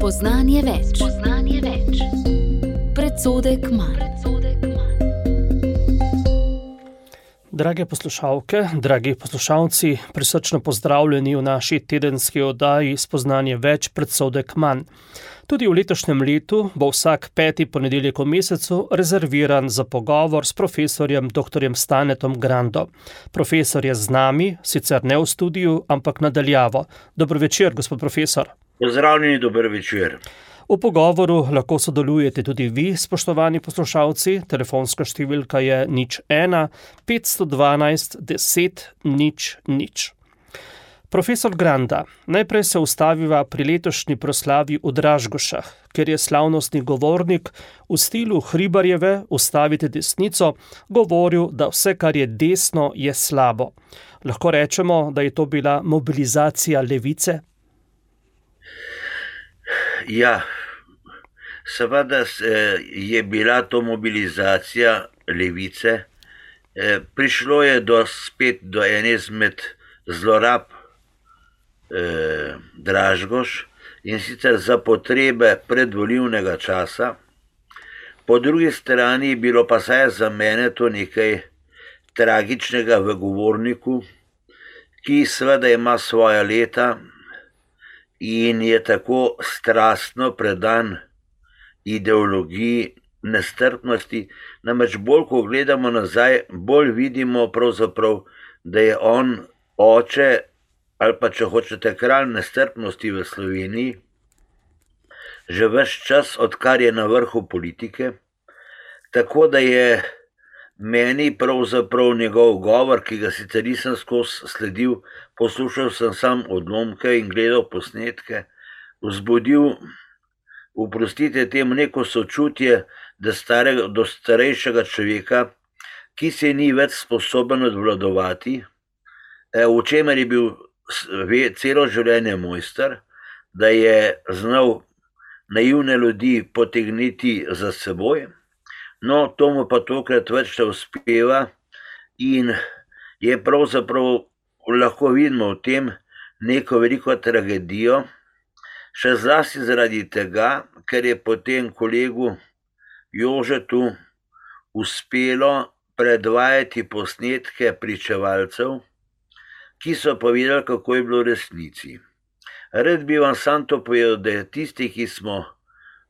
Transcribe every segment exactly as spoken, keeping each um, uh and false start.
Spoznanje več. Spoznanje več. Predsodek manj. Drage poslušalke, dragi poslušalci, prisrčno pozdravljeni v naši tedenski oddaji Spoznanje več, predsodek manj. Tudi v letošnjem letu bo vsak peti ponedeljek v mesecu rezerviran za pogovor s profesorjem doktorjem Stanetom Grando. Profesor je z nami, sicer ne v studiu, ampak nadaljavo. Dobro večer, gospod profesor. Pozdravljeni, dober večer. V pogovoru lahko sodelujete tudi vi, spoštovani poslušalci. Telefonska številka je nič ena petsto dvanajst deset nič nič. Profesor Granda, najprej se ustaviva pri letošnji proslavi v Dražgošah, ker je slavnostni govornik v stilu Hribarjeve Ustavite desnico govoril, da vse, kar je desno, je slabo. Lahko rečemo, da je to bila mobilizacija levice? Ja, seveda je bila to mobilizacija levice. Prišlo je do, spet do ene izmed zlorab eh, Dražgoš, in sicer za potrebe predvolilnega časa. Po drugi strani je bilo pa saj za mene to nekaj tragičnega v govorniku, ki seveda ima svoja leta in je tako strastno predan ideologiji nestrpnosti. Namreč bolj, ko gledamo nazaj, bolj vidimo pravzaprav, da je on oče, ali pa če hočete kralj nestrpnosti v Sloveniji, že ves čas, odkar je na vrhu politike. Tako da je meni pravzaprav njegov govor, ki ga sicer nisem skozi sledil, poslušal sem sam odlomke in gledal posnetke, vzbudil, oprostite temu, neko sočutje do, starega, do starejšega človeka, ki se ni več sposoben odvladovati, v čemer je bil celo življenje mojster, da je znal naivne ljudi potegniti za seboj. No, to mu pa tokrat več ne uspeva in je pravzaprav, lahko vidimo v tem neko veliko tragedijo, še zlasti zaradi tega, ker je potem kolegu Jožetu uspelo predvajati posnetke pričevalcev, ki so povedali, kako je bilo v resnici. Rad bi vam sam to povedal, da tisti, ki smo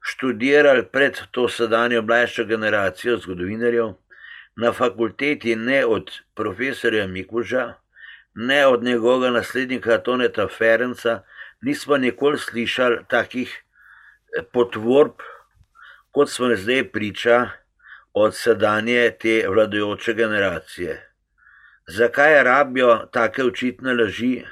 študirali pred to sedanjo mlajšo generacijo zgodovinarjev na fakulteti, ne od profesorja Mikuža, ne od njegovega naslednika Toneta Ferenca, nismo nikoli slišali takih potvorb, kot smo zdaj priča od sedanje te vladajoče generacije. Zakaj rabijo take očitne laži,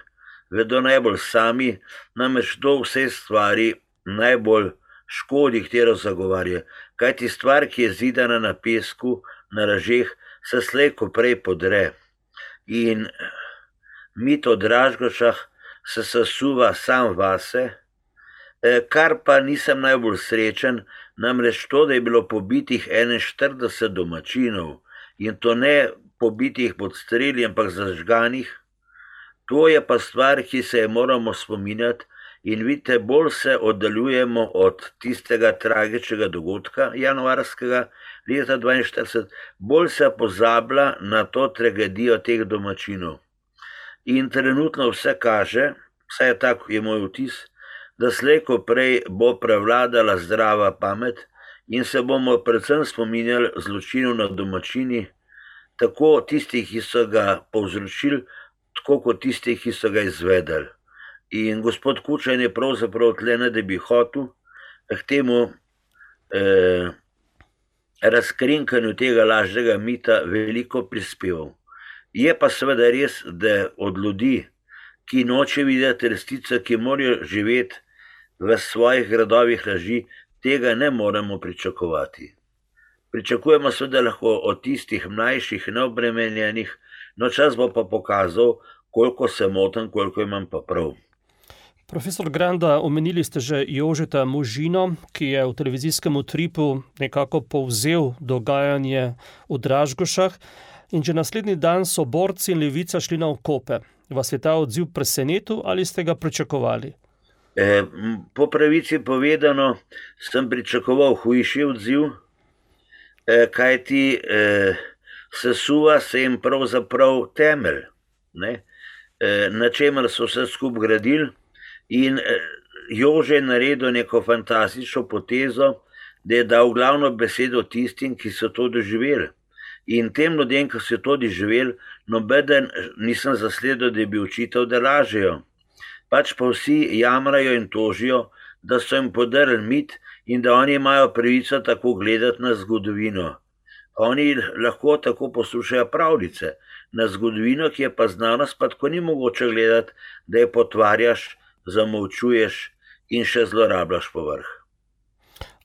vedo najbolj sami, namreč to vse stvari najbolj škodi, katero zagovarja. Kajti stvar, ki je zidana na pesku, na lažeh, se slej ko prej podre. In mit o Dražgošah se sesuva sam vase, kar pa nisem najbolj srečen, namreč to, da je bilo pobitih enainštirideset domačinov, in to ne pobitih pod streli, ampak zažganih. To je pa stvar, ki se je moramo spominjati, in vidite, bolj se oddaljujemo od tistega tragičnega dogodka januarskega leta dvainštirideset, bolj se pozablja na to tragedijo teh domačinov. In trenutno vse kaže, vsaj tako je moj vtis, da slej ko prej bo prevladala zdrava pamet in se bomo predvsem spominjali zločinov nad domačini, tako tistih, ki so ga povzročili, tako kot tistih, ki so ga izvedeli. In gospod Kučan je pravzaprav tle, ne da bi hotel, k temu eh, razkrinkanju tega lažnega mita veliko prispeval. Je pa seveda res, da od ljudi, ki noče videti resnico, ki morajo živeti v svojih gradovih laži, tega ne moremo pričakovati. Pričakujemo seveda lahko od tistih mlajših, neobremenjenih, no čas bo pa pokazal, koliko se motim, koliko imam pa prav. Profesor Granda, omenili ste že Jožeta Možino, ki je v televizijskem utripu nekako povzel dogajanje v Dražgošah, in že naslednji dan so borci in levica šli na okope. Vas je ta odziv presenetil ali ste ga pričakovali? Eh, po pravici povedano, sem pričakoval hujši odziv, eh, kajti eh, sesuva se jim pravzaprav temelj, ne? Eh, na čemer so vse skupaj gradili, in eh, Jože je naredil neko fantastično potezo, da je dal glavno besedo tistim, ki so to doživeli. In tem ljudem, ki so to doživeli, nobeden nisem zasledil, da bi učitev, da lažejo. Pač pa vsi jamrajo in tožijo, da so jim podrli mit in da oni imajo pravico tako gledati na zgodovino. Oni lahko tako poslušajo pravljice. Na zgodovino, ki je pa znanost, pa tako ni mogoče gledati, da je potvarjaš, zamolčuješ in še zlorabljaš povrh.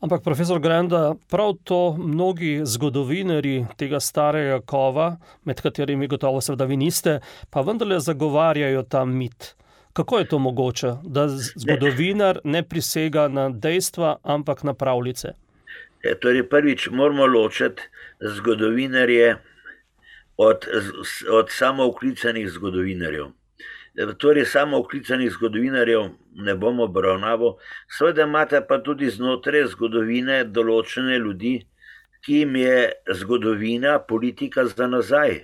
Ampak, profesor Granda, prav to mnogi zgodovinarji tega starega kova, med katerimi gotovo seveda vi niste, pa vendarle zagovarjajo ta mit. Kako je to mogoče, da zgodovinar ne prisega na dejstva, ampak na pravljice? E, torej prvič moramo ločiti zgodovinarje od, od samooklicanih zgodovinarjev. Torej samooklicanih zgodovinarjev ne bomo obravnaval, seveda imate pa tudi znotraj zgodovine določene ljudi, ki jim je zgodovina politika za nazaj.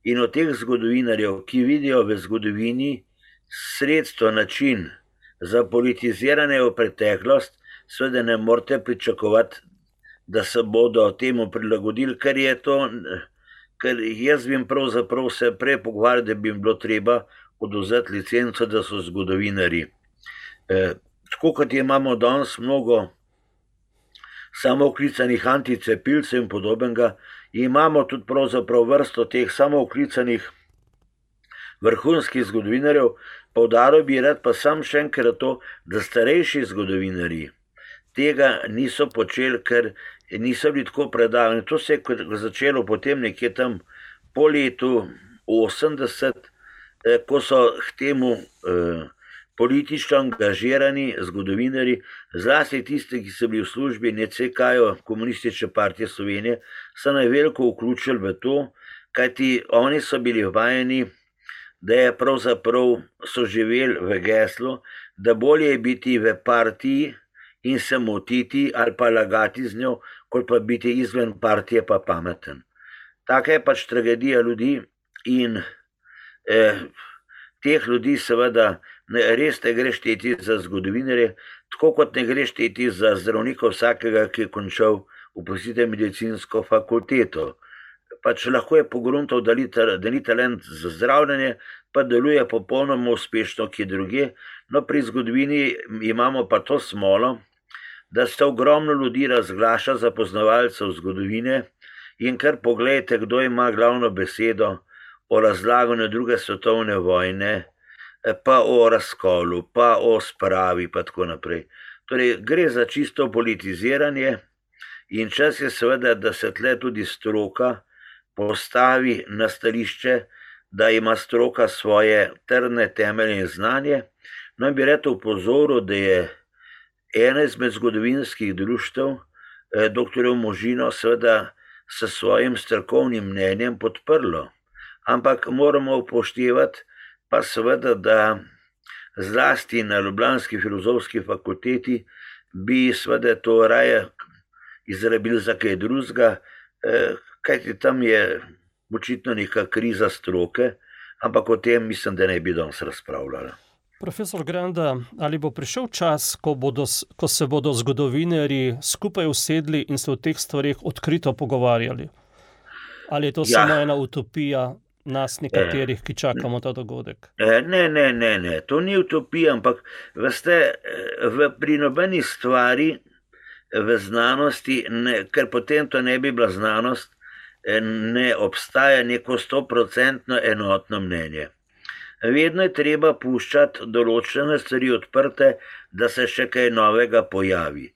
In od teh zgodovinarjev, ki vidijo v zgodovini sredstvo, način za politiziranje v preteklost, seveda ne morete pričakovati, da se bodo temu prilagodili, ker je to, ker jaz bi jim pravzaprav se prej pogovarjal, da bi jim bilo treba odvzeti licenco, da so zgodovinarji. E, tako kot imamo danes mnogo samooklicanih anticepilcev in podobnega, imamo tudi pravzaprav vrsto teh samooklicanih vrhunskih zgodovinarjev. Poudaril bi rad pa sam še enkrat to, da starejši zgodovinarji tega niso počeli, ker niso bili tako predavani. To se je začelo potem nekje tam po letu osemdeset, ko so k temu eh, politično angažirani zgodovinarji, zlasti tisti, ki so bili v službi N C K-ju, Komunistične partije Slovenije, so najveliko vključili v to, kajti oni so bili vajeni, da je pravzaprav so živeli v geslu, da bolje je biti v partiji in se motiti ali pa lagati z njo, kot pa biti izven partije pa pameten. Taka je pač tragedija ljudi in Eh, teh ljudi seveda ne, res ne gre šteti za zgodovinarje, tako kot ne gre šteti za zdravnika vsakega, ki je končal, oprostite, medicinsko fakulteto. Pač lahko je pogruntal, da, da ni talent za zdravljenje, pa deluje popolnoma uspešno kje druge. No, pri zgodovini imamo pa to smolo, da se ogromno ljudi razglaša za poznavalcev zgodovine in kar pogledajte, kdo ima glavno besedo o razlaganju druge svetovne vojne, pa o razkolu, pa o spravi, pa tako naprej. Torej, gre za čisto politiziranje in čas je seveda, da se tle tudi stroka postavi na stališče, da ima stroka svoje trdne temelje in znanje. No, bi rad opozoril, da je ena izmed zgodovinskih društev, doktorjev Možino, seveda s svojim strokovnim mnenjem podprlo. Ampak moramo upoštevati pa seveda, da zlasti na ljubljanski filozofski fakulteti bi seveda to raje izrabili za kaj drugega, kajti tam je očitno neka kriza stroke, ampak o tem mislim, da ne bi danes razpravljala. Profesor Granda, ali bo prišel čas, ko, bodo, ko se bodo zgodovinarji skupaj usedli in se o teh stvarih odkrito pogovarjali? Ali je to ja. samo ena utopija nas nekaterih, ki čakamo ta dogodek? Ne, ne, ne, ne. To ni utopija, ampak veste, v pri nobeni stvari v znanosti, ne, ker potem to ne bi bila znanost, ne obstaja neko stoprocentno enotno mnenje. Vedno je treba puščati določene stvari odprte, da se še kaj novega pojavi.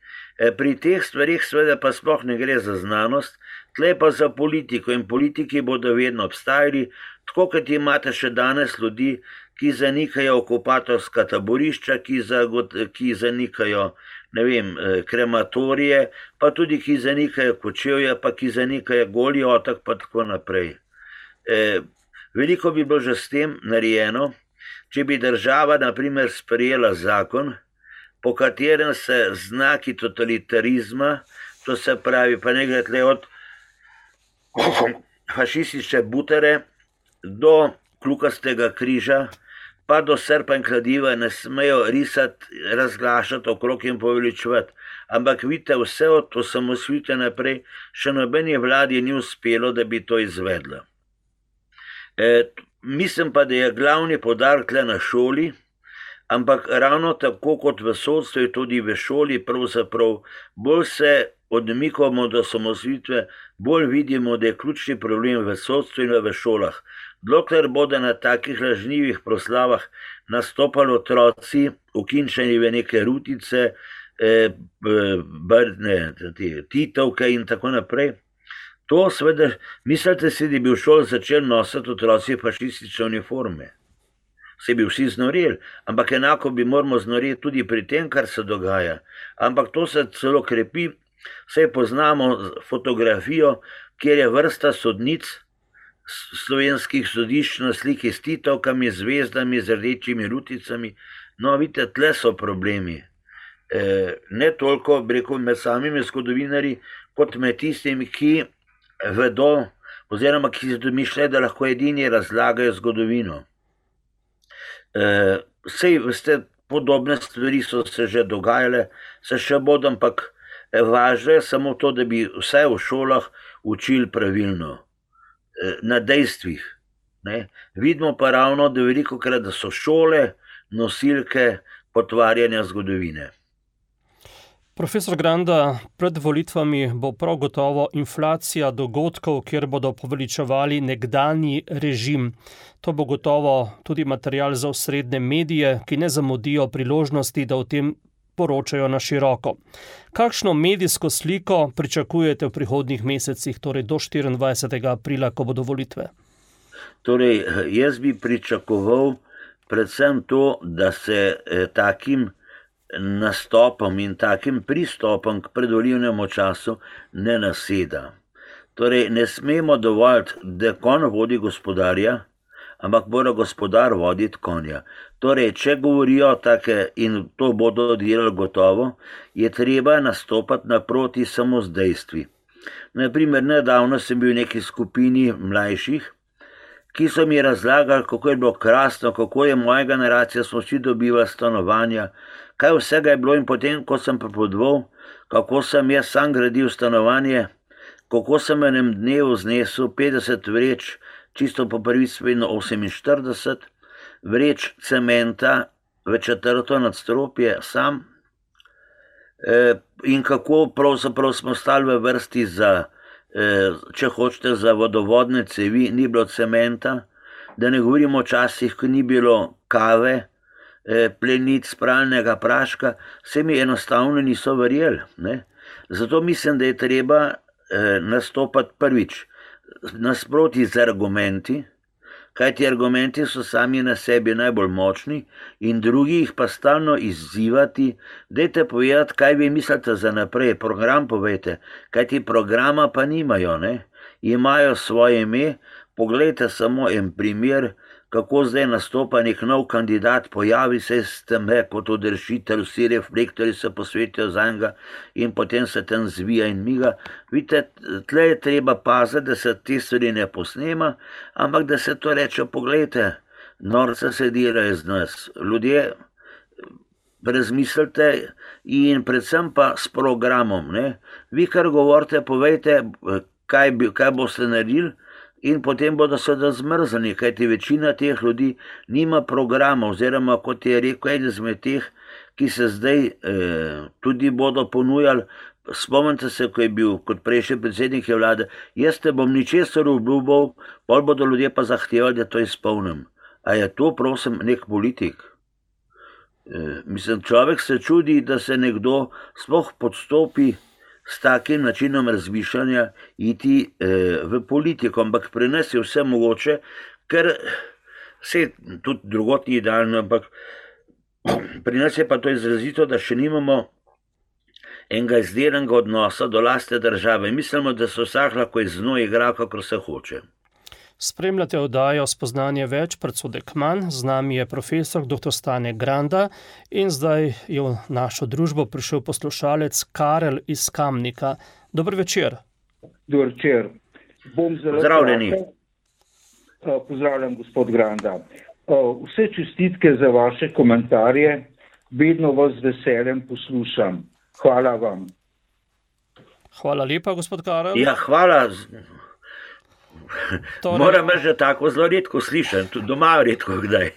Pri teh stvarih seveda pa sploh ne gre za znanost, tle pa za politiko in politiki bodo vedno obstajali, tako kot imate še danes ljudi, ki zanikajo okupatorska taborišča, ki, zagot, ki zanikajo, ne vem, krematorije, pa tudi ki zanikajo Kočevje, pa ki zanikajo Goli otok, pa tako naprej. E, veliko bi bilo že s tem narejeno, če bi država, na primer, sprejela zakon, po katerem se znaki totalitarizma, to se pravi, pa ne gre tle od fašistične butere do kljukastega križa, pa do srpa in kladiva ne smejo risati, razglašati okrog in poveličevati. Ampak vidite, vse od osamosvojitve naprej še nobeni vladi ni uspelo, da bi to izvedla. E, mislim pa, da je glavni poudarek tle na šoli, ampak ravno tako kot v sodstvu, tudi v šoli pravzaprav bolj se odmikamo do osamosvojitve, bolj vidimo, da je ključni problem v sodstvu in v šolah. Dokler bodo na takih lažnivih proslavah nastopali otroci, ukinčeni v neke rutice, eh, brne, titovke in tako naprej, to seveda, mislite si, da bi v šoli začeli nositi otroci fašistične uniforme. Se bi vsi znoreli, ampak enako bi moramo znoreti tudi pri tem, kar se dogaja. Ampak to se celo krepi, saj poznamo fotografijo, kjer je vrsta sodnic slovenskih sodišč na sliki s titovkami, zvezdami, z rdečimi ruticami. No, vidite, tle so problemi. E, ne toliko, rekel, med samimi zgodovinarji, kot med tistimi, ki vedo, oziroma ki si domišljajo, da lahko edini razlagajo zgodovino. E, sej, veste, podobne stvari so se že dogajale, se še bodo, ampak važno je samo to, da bi vse v šolah učili pravilno, na dejstvih. Ne? Vidimo pa ravno, da veliko krat, da so šole nosilke potvarjanja zgodovine. Profesor Granda, pred volitvami bo prav gotovo inflacija dogodkov, kjer bodo poveličevali nekdanji režim. To bo gotovo tudi material za osrednje medije, ki ne zamudijo priložnosti, da o tem poročajo na široko. Kakšno medijsko sliko pričakujete v prihodnjih mesecih, torej do štiriindvajsetega aprila, ko bodo volitve? Torej, jaz bi pričakoval predvsem to, da se eh, takim nastopom in takim pristopom k predvolilnemu času ne naseda. Torej, ne smemo dovoliti, da konj vodi gospodarja, ampak mora gospodar voditi konja. Torej, če govorijo take, in to bodo delali gotovo, je treba nastopati naproti samo z dejstvi. Naprimer, nedavno sem bil v neki skupini mlajših, ki so mi razlagali, kako je bilo krasno, kako je moja generacija, smo vsi dobivali stanovanja, kaj vsega je bilo, in potem, ko sem pripovedoval, kako sem jaz sam gradil stanovanje, kako sem v enem dnevu znesel petdeset vreč, čisto po prvi oseminštirideset, vreč cementa v četrto nadstropje sam, e, in kako pravzaprav smo stali v vrsti za, e, če hočete, za vodovodne cevi, ni bilo cementa, da ne govorimo o časih, ko ni bilo kave, e, plenic, pralnega praška, se mi enostavno niso verjeli. Ne? Zato mislim, da je treba e, nastopati prvič nasproti z argumenti, kajti argumenti so sami na sebi najbolj močni, in drugi jih pa stalno izzivati, dajte povedati, kaj vi mislite za naprej, program povejte, kajti programa pa nimajo, ne? Imajo svoje ime. Poglejte samo en primer, kako zdaj nastopa nek nov kandidat, pojavi se s tem, kot odrešitelj, vsi reflektori se posvetijo za njega in potem se tam zvija in miga. Vidite, tle je treba paziti, da se te stvari ne posnema, ampak da se to reče, poglejte, norce se delajo z nas. Ljudje, razmislite in predvsem pa s programom. Ne? Vi, kar govorite, povejte, kaj, bi, kaj boste naredili, in potem bodo seveda zmrzani, kajti večina teh ljudi nima programa, oziroma kot je rekel eden izmed teh, ki se zdaj eh, tudi bodo ponujali. Spomnite se, ko je bil kot prejšnji predsednik vlade, jaz te bom ničesar obljubal, pol bodo ljudje pa zahtevali, da to izpolnim. A je to, prosim, nek politik? Eh, mislim, človek se čudi, da se nekdo sploh podstopi s takim načinom razmišljanja iti eh, v politiko, ampak pri nas je vse mogoče, ker se tudi drugot ni idealno, ampak pri nas je pa to izrazito, da še nimamo enega izdelanega odnosa do lastne države. Mislimo, da se vsak lahko iz njo igra, kakor se hoče. Spremljate oddajo Spoznanje več, predsodek manj. Z nami je profesor doktor Stane Granda in zdaj je v našo družbo prišel poslušalec Karel iz Kamnika. Dober večer. Dober večer. Bom zelo Zdravljeni. kratek. Pozdravljam, gospod Granda. Vse čestitke za vaše komentarje. Vedno vas z veseljem poslušam. Hvala vam. Hvala lepa, gospod Karel. Ja, hvala. Torej, Moram reči, da tako zelo redko slišim, tudi doma redko kdaj.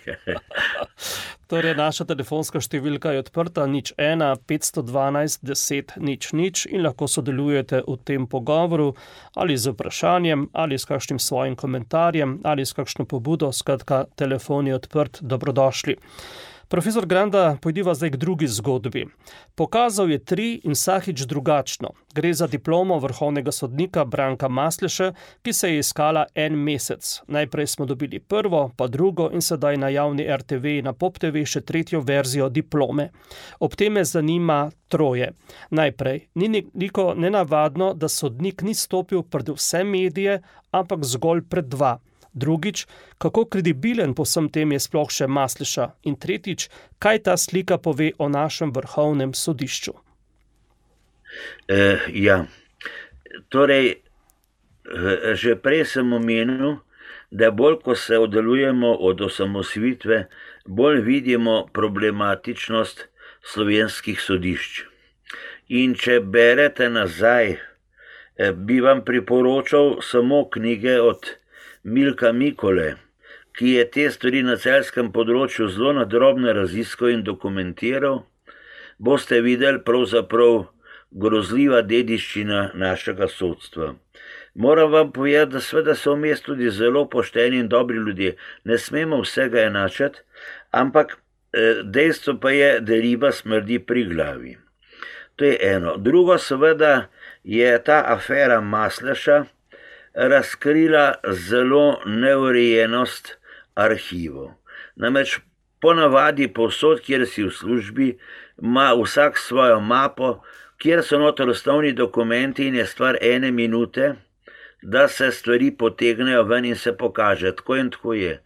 Torej, naša telefonska številka je odprta nič ena petsto dvanajst deset nič nič in lahko sodelujete v tem pogovoru ali z vprašanjem, ali s kakšnim svojim komentarjem, ali s kakšno pobudo. Skratka, telefon je odprt, dobrodošli. Profesor Granda, pojdiva zdaj k drugi zgodbi. Pokazal je tri in vsakič drugačno. Gre za diplomo vrhovnega sodnika Branka Masleše, ki se je iskala en mesec. Najprej smo dobili prvo, pa drugo in sedaj na javni R T V in na Pop T V še tretjo verzijo diplome. Ob tem me zanima troje. Najprej, ni nekoliko nenavadno, da sodnik ni stopil pred vse medije, ampak zgolj pred dva. Drugič, kako kredibilen po vsem tem je sploh še Masleša? In tretjič, kaj ta slika pove o našem vrhovnem sodišču? E, ja, torej, že prej sem omenil, da bolj, ko se oddaljujemo od osamosvojitve, bolj vidimo problematičnost slovenskih sodišč. In če berete nazaj, bi vam priporočal samo knjige od Milka Mikole, ki je te stvari na celjskem področju zelo nadrobno raziskal in dokumentiral, boste videli pravzaprav grozljiva dediščina našega sodstva. Moram vam povedati, da seveda so vmes tudi zelo pošteni in dobri ljudje. Ne smemo vsega enačiti, ampak dejstvo pa je, da riba smrdi pri glavi. To je eno. Drugo seveda je ta afera Masleša razkrila zelo neurejenost arhivov. Namreč ponavadi povsod, kjer si v službi, ima vsak svojo mapo, kjer so noter osnovni dokumenti in je stvar ene minute, da se stvari potegnejo ven in se pokaže. Tako in tako je.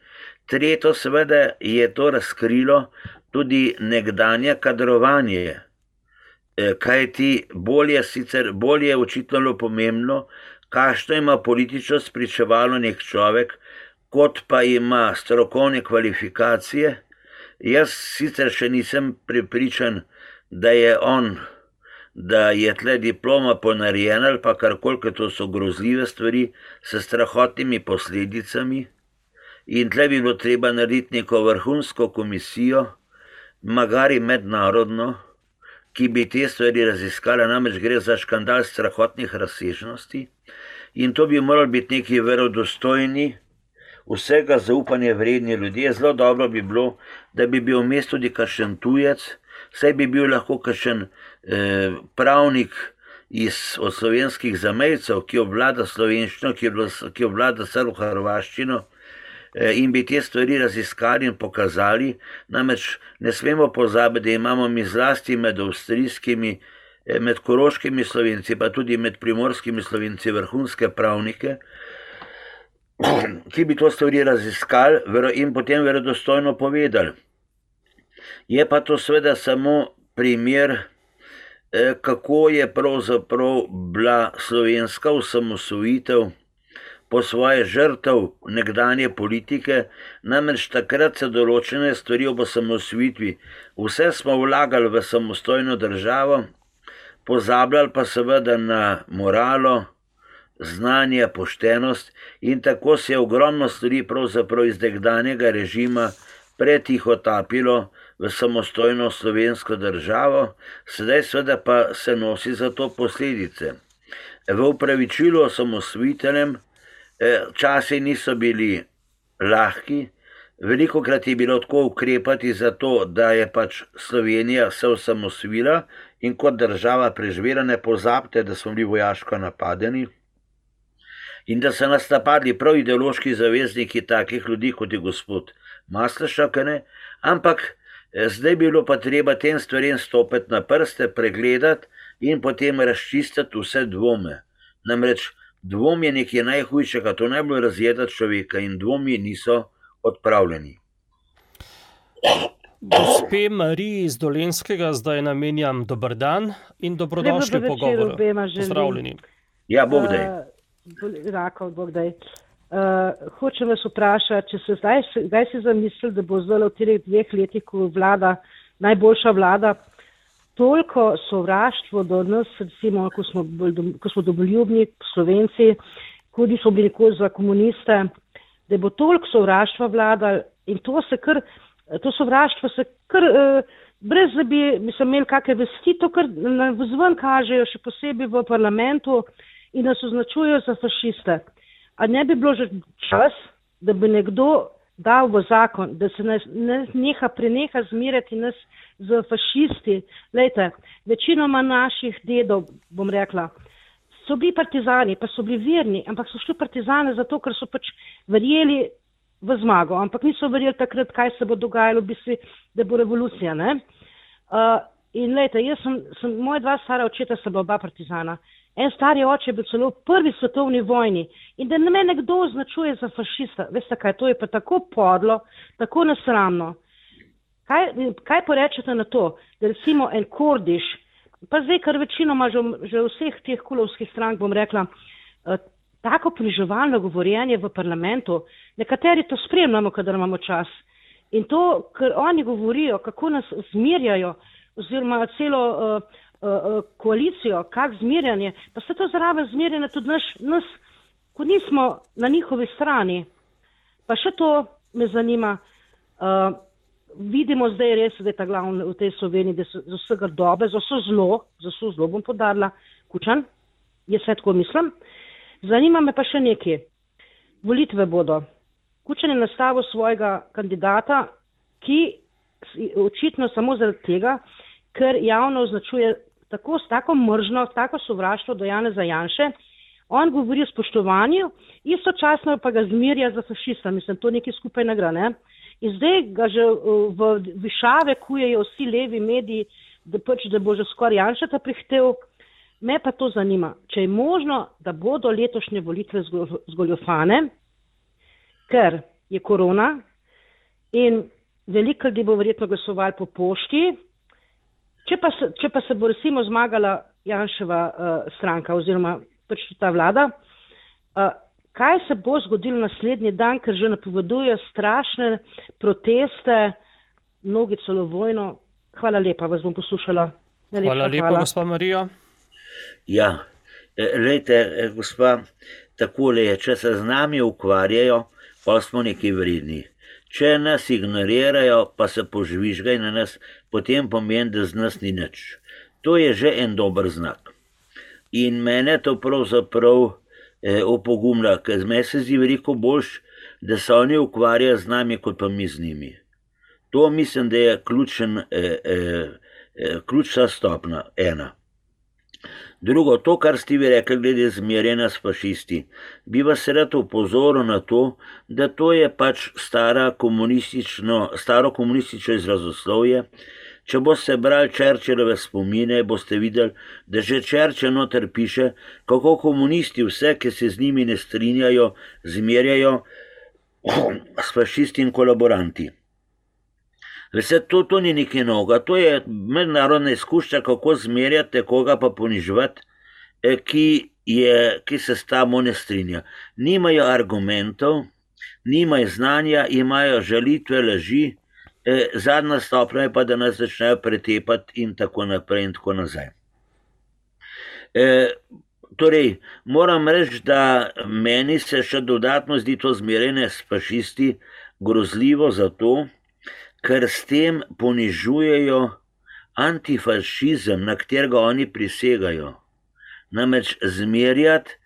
Tretjo seveda je to razkrilo tudi nekdanje kadrovanje. Kaj ti bolje sicer, bolje očitno pomembno, kakšno ima politično spričevalo nek človek, kot pa ima strokovne kvalifikacije. Jaz sicer še nisem prepričan, da je on, da je tle diploma ponarejena ali pa karkoli, ker to so grozljive stvari s strahotnimi posledicami. In tle bi bilo treba narediti neko vrhunsko komisijo, magari mednarodno, ki bi te stvari raziskala, namreč gre za škandal strahotnih razsežnosti. In to bi morali biti neki verodostojni, vsega zaupanja vredni ljudje. Zelo dobro bi bilo, da bi bil vmes tudi kakšen tujec, saj bi bil lahko kakšen eh, pravnik iz, od slovenskih zamejcev, ki obvlada slovenščino, ki, ki obvlada srbo-hrvaščino, eh, in bi te stvari raziskali in pokazali. Namreč ne smemo pozabiti, da imamo mi zlasti med avstrijskimi, med koroškimi Slovenci, pa tudi med primorskimi Slovenci vrhunske pravnike, ki bi to stvari raziskali in potem verodostojno povedali. Je pa to seveda samo primer, kako je pravzaprav bila slovenska osamosvojitev po svoje žrtev nekdanje politike, namreč takrat se določene stvari ob osamosvojitvi. Vse smo vlagali v samostojno državo, pozabljali pa seveda na moralo, znanje, poštenost in tako se je ogromno stvari pravzaprav iz nekdanjega režima pretihotapilo v samostojno slovensko državo, sedaj seveda pa se nosi za to posledice. V upravičilu osamosvojiteljem časi niso bili lahki, velikokrat je bilo tako ukrepati za to, da je pač Slovenija se osamosvojila in kot država preživela. Ne pozabite, da smo bili vojaško napadeni in da so nas napadli prav ideološki zavezniki takih ljudi, kot je gospod Masleša, ampak zdaj bi bilo pa treba tem stvarem stopiti na prste, pregledati in potem razčistiti vse dvome. Namreč Dvom je nekaj najhujšega, to najbolj razjeda človeka in dvomi niso odpravljeni. Gospe Mariji iz Dolenjskega zdaj namenjam dober dan in dobrodošli v pogovoru. Pozdravljeni. Ja, Bog daj. Uh, Rakov, Bog daj. Uh, hočem vas vprašati, če se zdaj, zdaj si zamislili, da bo zdaj v teh dveh letih, ko vlada, najboljša vlada, toliko sovraštvo do nas, recimo, ko smo, ko smo domoljubni Slovenci, tudi smo bili nikoli za komuniste, da bo toliko sovraštva vladal in to se kar, to sovraštvo se kar, eh, brez da bi, mislim, imeli kakve vesti, to kar vzven kažejo, še posebej v parlamentu in nas označujejo za fašiste. A ne bi bilo že čas, da bi nekdo dal v zakon, da se nas ne, neha, preneha zmerjati nas z fašisti. Lejte, večinoma naših dedov, bom rekla, so bili partizani, pa so bili verni, ampak so šli partizane zato, ker so pač verjeli v zmago, ampak niso verjeli takrat, kaj se bo dogajalo, v bistvu, da bo revolucija, ne? Uh, in lejte, jaz sem, sem, moja dva stara očeta sta bila oba partizana. En stari oče je bil celo v prvi svetovni vojni in da me nekdo označuje za fašista, veste kaj, to je pa tako podlo, tako nesramno. Kaj, kaj porečete na to, da recimo en Kordiš, pa zdaj, kar večinoma že, že vseh teh kulovskih strank, bom rekla, uh, tako poniževalno govorjenje v parlamentu, nekateri to spremljamo, kadar imamo čas. In to, ker oni govorijo, kako nas zmerjajo, oziroma celo uh, uh, koalicijo, kak zmerjanje, pa se to zraven zmerjanje tudi naš, nas, ko nismo na njihovi strani. Pa še to me zanima, uh, vidimo zdaj res, da je ta glavna v tej Sloveniji, da so za vsega dobe, za vse zlo, za vse zlo bom podarila, Kučan, jaz se tako mislim. Zanima me pa še nekaj. Volitve bodo. Kučan je nastavil svojega kandidata, ki očitno samo zaradi tega, ker javno označuje tako, tako mržno, tako sovraštvo do Janeza Janše. On govori o spoštovanju, istočasno pa ga zmerja za fašista. Mislim, to nekaj skupaj ne gre, ne? In zdaj ga že v višave kujejo vsi levi mediji, da, pač, da bo že skoraj Janšeta prihtel. Me pa to zanima, če je možno, da bodo letošnje volitve zgoljufane, ker je korona in veliko ljudi bo verjetno glasovali po pošti, če pa se, če pa se bo recimo zmagala Janševa uh, stranka oziroma pač ta vlada, uh, kaj se bo zgodilo naslednji dan, ker že napovedujejo strašne proteste, mnogi celo vojno. Hvala lepa, vas bom poslušala. Najlepša hvala lepa, hvala. Gospa Marija. Ja, lejte, gospa, takole je, če se z nami ukvarjajo, pa smo neki vredni. Če nas ignorirajo, pa se požvižgajo na nas, potem pomeni, da z nas ni nič. To je že en dober znak. In mene to pravzaprav eh, opogumlja, ker me se zdi veliko boljš, da se oni ukvarjajo z nami, kot pa mi z njimi. To mislim, da je ključen, eh, eh, ključna stopna, ena. Drugo, to, kar ste vi rekli glede zmerjanja s fašisti, bi vas rad opozoril na to, da to je pač stara komunistično, staro komunistično izrazoslovje. Če boste brali Churchillove spomine, boste videli, da že Churchill noter piše, kako komunisti vse, ki se z njimi ne strinjajo, zmerjajo s fašisti in kolaboranti. Vse to, to ni nekaj novega, to je mednarodna izkušnja, kako zmerjate, koga pa ponižvati, ki, je, ki se s tamo ne strinja. Nimajo argumentov, nimajo znanja, imajo žalitve, laži, zadnja stopnja je pa, da nas začnejo pretepati in tako naprej in tako nazaj. E, torej, moram reči, da meni se še dodatno zdi to zmerjanje s fašisti grozljivo zato, ker s tem ponižujejo antifašizem, na katerega oni prisegajo. Namreč zmerjati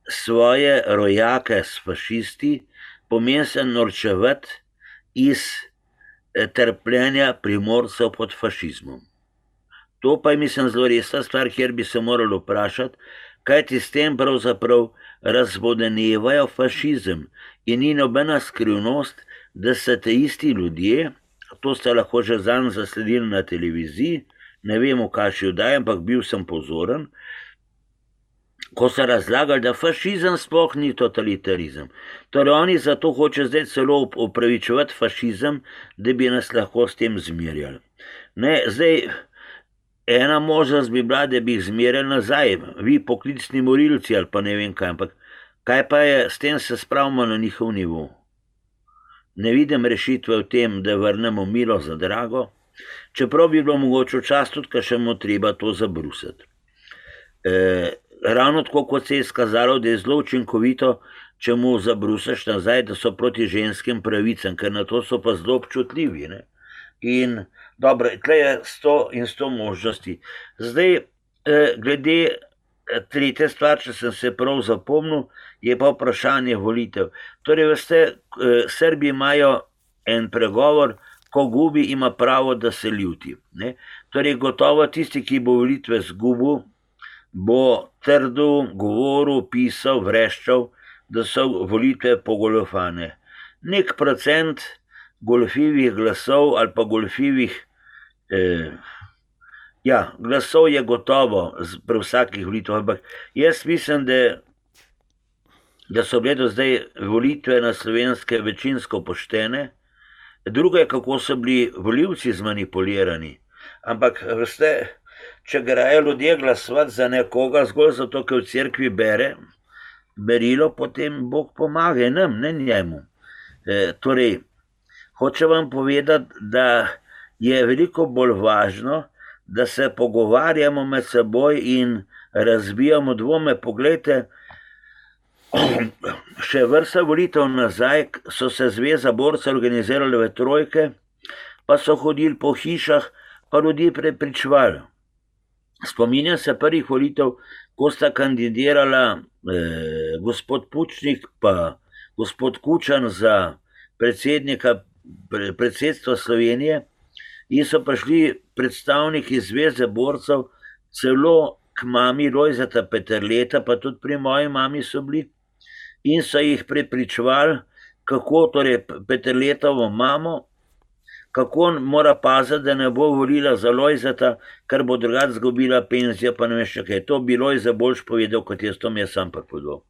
svoje rojake s fašisti pomeni se norčevati iz trpljenja Primorcev pod fašizmom. To pa je, mislim, zelo resna stvar, kjer bi se morali vprašati, kajti s tem pravzaprav razvodenevajo fašizem in ni nobena skrivnost, da se te isti ljudje, to ste lahko že zanj zasledili na televiziji, ne vem, v kakšni oddaji, ampak bil sem pozoren, ko so razlagali, da fašizem sploh ni totalitarizem. Torej oni zato hoče zdaj celo opravičevati fašizem, da bi nas lahko s tem zmerjali. Ne, zdaj, ena možnost bi bila, da bi jih zmerjali nazaj, vi poklicni morilci ali pa ne vem kaj, ampak kaj pa je, s tem se spravimo na njihov nivo. Ne vidim rešitve v tem, da vrnemo milo za drago, čeprav bi bilo mogoče včasih tudi, ker še mu treba to zabrusiti. E, ravno tako, kot se je skazalo, da je zelo učinkovito, če mu zabrusaš nazaj, da so proti ženskim pravicam, ker na to so pa zelo občutljivi. Ne? In dobro, tle je sto in sto možnosti. Zdaj, eh, glede tretje stvar, če sem se prav zapomnil, je pa vprašanje volitev. Torej, veste, eh, Srbi imajo en pregovor, ko gubi, ima pravo, da se ljuti. Ne? Torej, gotovo tisti, ki bo volitve zgubil, bo trdo govoril, pisal, vreščal, da so volitve pogoljufane. Nek procent goljufivih glasov ali pa goljufivih eh, ja, glasov je gotovo pri vsakih volitvah, ampak jaz mislim, da, da so bile do zdaj volitve na Slovenske večinsko poštene. Drugo je, kako so bili volivci zmanipulirani. Ampak, veste, če grejo ljudje glasovati za nekoga zgolj zato, ker v cerkvi bere berilo, potem Bog pomaga nam, ne njemu. E, torej, hoče vam povedati, da je veliko bolj važno, da se pogovarjamo med seboj in razbijamo dvome. Poglejte, še vrsta volitev nazaj so se zveza borcev organizirali v trojke, pa so hodili po hišah, pa ljudi prepričvali. Spominjam se prvih volitev, ko sta kandidirala eh, gospod Pučnik pa gospod Kučan za predsednika predsedstva Slovenije in so prišli predstavniki zveze borcev celo k mami Lojzeta Peterleta, pa tudi pri moji mami so bili, in so jih prepričevali, kako torej Peterletovo mamo, kako mora paziti, da ne bo volila za Lojzeta, ker bo drugače zgubila penzijo, pa ne veš kaj. To bi Lojze boljš povedal, kot jaz, to mi je sam pripovedal.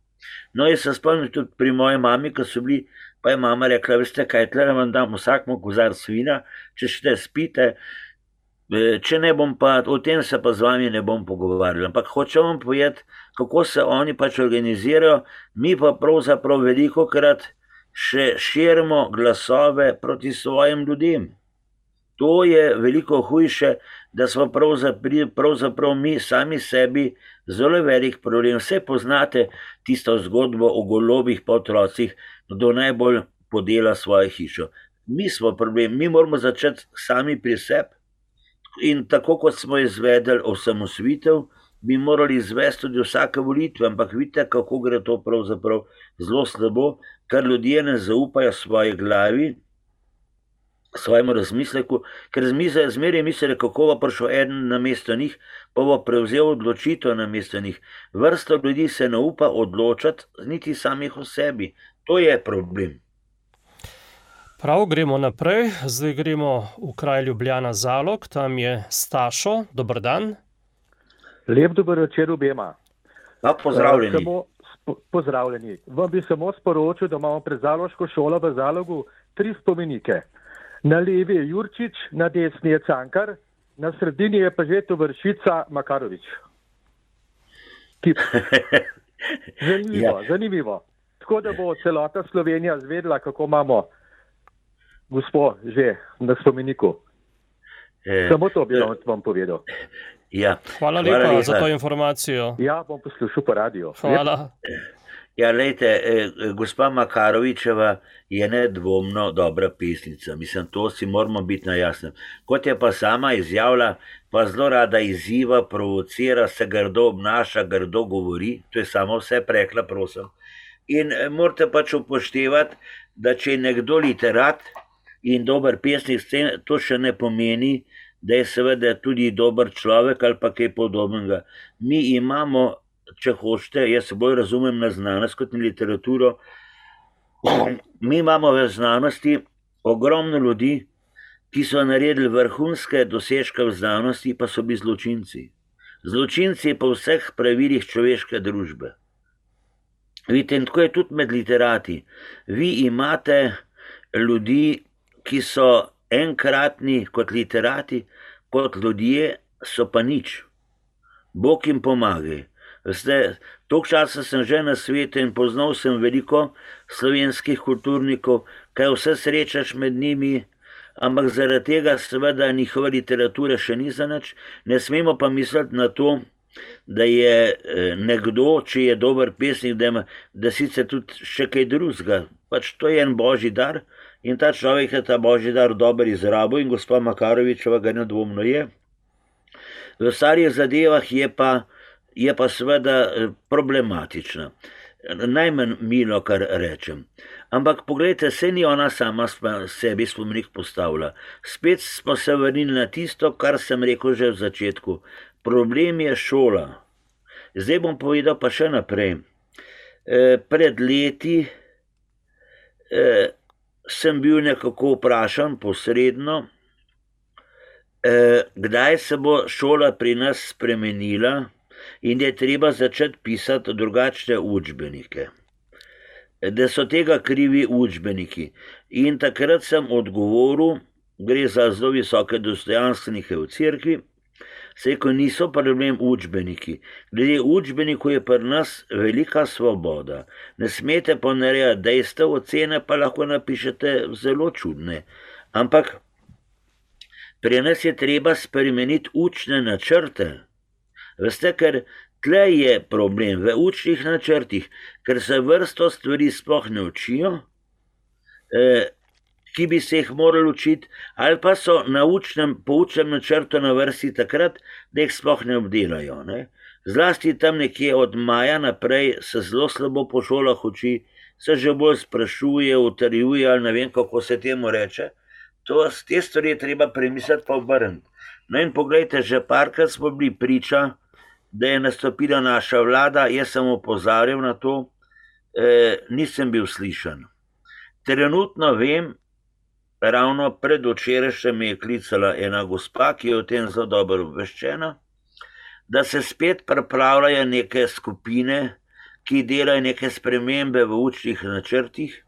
No, jaz se spomnim tudi pri moji mami, ko so bili, pa je mama rekla, veste kaj, tle vam dam vsakmu kozar svina, če še spite, če ne bom pa, o tem se pa z vami ne bom pogovarjal. Ampak hočem vam povedati, kako se oni pač organizirajo, mi pa pravzaprav veliko krat še širimo glasove proti svojim ljudem. To je veliko hujše, da smo pravzaprav, pravzaprav mi sami sebi zelo velik problem. Vse poznate tisto zgodbo o golobih pa otrocih, kdo najbolj podela svojo hišo. Mi smo problem, mi moramo začeti sami pri sebi in tako kot smo izvedeli osamosvojitev, bi morali izvesti tudi vsake volitve, ampak vidite, kako gre to pravzaprav zelo slabo, ker ljudje ne zaupajo svoji glavi, svojemu razmisleku, ker zmeraj mislijo, kako bo prišel eden na mesto njih, pa bo prevzel odločitev na mesto njih. Vrsta ljudi se ne upa odločati niti samih o sebi. To je problem. Prav, gremo naprej. Zdaj gremo v kraj Ljubljana Zalog, tam je Stašo. Dober dan. Lep dober večer obema. Pa pozdravljeni. Samo, spo, pozdravljeni. Vam bi samo sporočil, da imamo pred Zaloško šolo v Zalogu tri spomenike. Na levi je Jurčič, na desni je Cankar, na sredini je pa že Tovršica Makarovič. Zanimivo, ja. zanimivo. Tako da bo celota Slovenija zvedela, kako imamo gospod že na spomeniku. E, samo to bi vam, vam povedal. Ja. Hvala, Hvala lepa, lepa za to informacijo. Ja, bom poslušal po radiju. Hvala. Ja, lejte, eh, gospa Makarovičeva je nedvomno dobra pesnica. Mislim, to si moramo biti na jasnem. Kot je pa sama izjavila, pa zelo rada izziva, provocira, se grdo obnaša, grdo govori. To je samo vse prekla, prosim. In eh, morate pač upoštevati, da če je nekdo literat in dober pesnik, to še ne pomeni, da je seveda tudi dober človek ali pa kaj podobnega. Mi imamo, če hočete, jaz se bolj razumem na znanost kot na literaturo, mi imamo v znanosti ogromno ljudi, ki so naredili vrhunske dosežke v znanosti, pa so bili zločinci. Zločinci po vseh pravilih človeške družbe. Vidite, in tako je tudi med literati. Vi imate ljudi, ki so enkratni kot literati, kot ljudje so pa nič. Bog jim pomagaj. Veste, toliko časa sem že na svetu in poznal sem veliko slovenskih kulturnikov, kaj vse srečaš med njimi, ampak zaradi tega seveda njihova literatura še ni za nič. Ne smemo pa misliti na to, da je nekdo, če je dober pesnik, da, ima, da sicer tudi še kaj drugega. Pač to je en božji dar in ta človek je ta božji dar dober izrabil in gospa Makarovičeva ga nedvomno je. V starih zadevah je pa, je pa seveda problematična. Najmanj milo, kar rečem. Ampak pogledajte, se ni ona sama sebi spomenik postavila. Spet smo se vrnili na tisto, kar sem rekel že v začetku. Problem je šola. Zdaj bom povedal pa še naprej. E, pred leti e, sem bil nekako vprašan posredno, e, kdaj se bo šola pri nas spremenila in je treba začeti pisati drugačne učbenike. Da so tega krivi učbeniki. In takrat sem odgovoril, gre za zelo visoke dostojanstvenike v cerkvi, se ko niso problem učbeniki. Glede učbenikov je pri nas velika svoboda. Ne smete ponarejati dejstev, ocene pa lahko napišete zelo čudne. Ampak pri nas je treba spremeniti učne načrte. Veste, ker tle je problem v učnih načrtih, ker se vrsto stvari sploh ne učijo, eh, ki bi se jih morali učiti, ali pa so na učnem, po učnem načrtu na vrsti takrat, da jih sploh ne obdelajo. Ne? Zlasti tam nekje od maja naprej se zelo slabo po šolah uči, se že bolj sprašuje, utrjuje, ali ne vem, kako se temu reče. To, te stvari je treba premisliti pa obrniti. No in pogledajte, že parkrat smo bili priča, da je nastopila naša vlada, jaz sem opozarjal na to, eh, nisem bil slišan. Trenutno vem, ravno pred včerajšnjem me je klicala ena gospa, ki je o tem zelo dobro obveščena, da se spet pripravljajo neke skupine, ki delajo neke spremembe v učnih načrtih,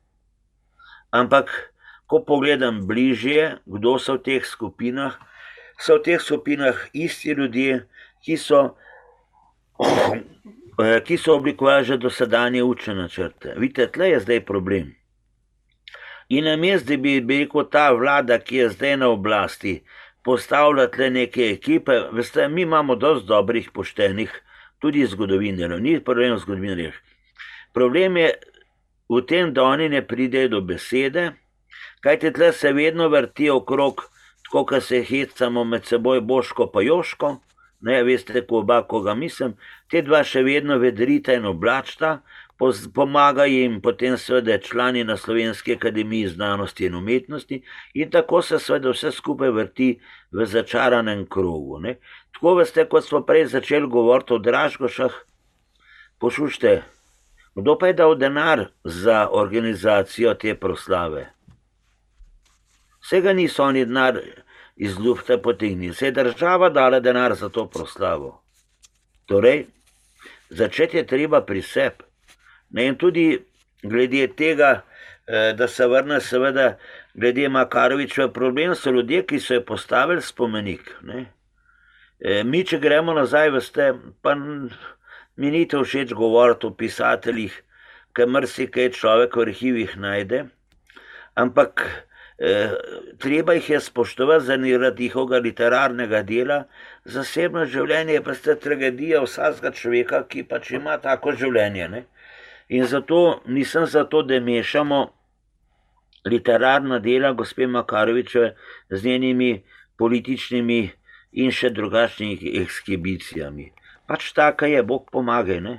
ampak ko pogledam bližje, kdo so v teh skupinah, so v teh skupinah isti ljudje, ki so ki so oblikovali že dosedanje učne načrte. Vidite, tle je zdaj problem. In namesto, da bi, bi rekel ta vlada, ki je zdaj na oblasti, postavlja tle neke ekipe, veste, mi imamo dosti dobrih, poštenih, tudi zgodovinarjev, ni problem v zgodovinarjih. Problem je v tem, da oni ne pridejo do besede, kajte tle se vedno vrti okrog, tako ko se hecamo med seboj Boško pa Joško, ne, veste, ko oba, koga mislim, te dva še vedno vedrita in oblačta, pomaga jim potem seveda člani na Slovenski akademiji znanosti in umetnosti in tako se seveda vse skupaj vrti v začaranem krogu. Ne. Tako veste, kot smo prej začeli govoriti o Dražgošah, poslušajte, kdo pa je dal denar za organizacijo te proslave? Vsega niso oni denar iz lufta potegnili, se je država dala denar za to proslavo. Torej, začeti je treba pri sebi. Ne, in tudi glede tega, da se vrne seveda glede Makarovičeva problem, so ljudje, ki so je postavili spomenik. Ne. Mi, če gremo nazaj, veste, pa mi ni to všeč govoriti o pisateljih, ker marsikaj človek v arhivih najde, ampak eh, treba jih je spoštovati zaradi njihovega literarnega dela, zasebno življenje pa ste tragedija vsakega človeka, ki pač ima tako življenje. Ne. In zato nisem zato, da mešamo literarna dela gospe Makarovičeve z njenimi političnimi in še drugačnimi ekshibicijami. Pač taka je, Bog pomagaj. Ne?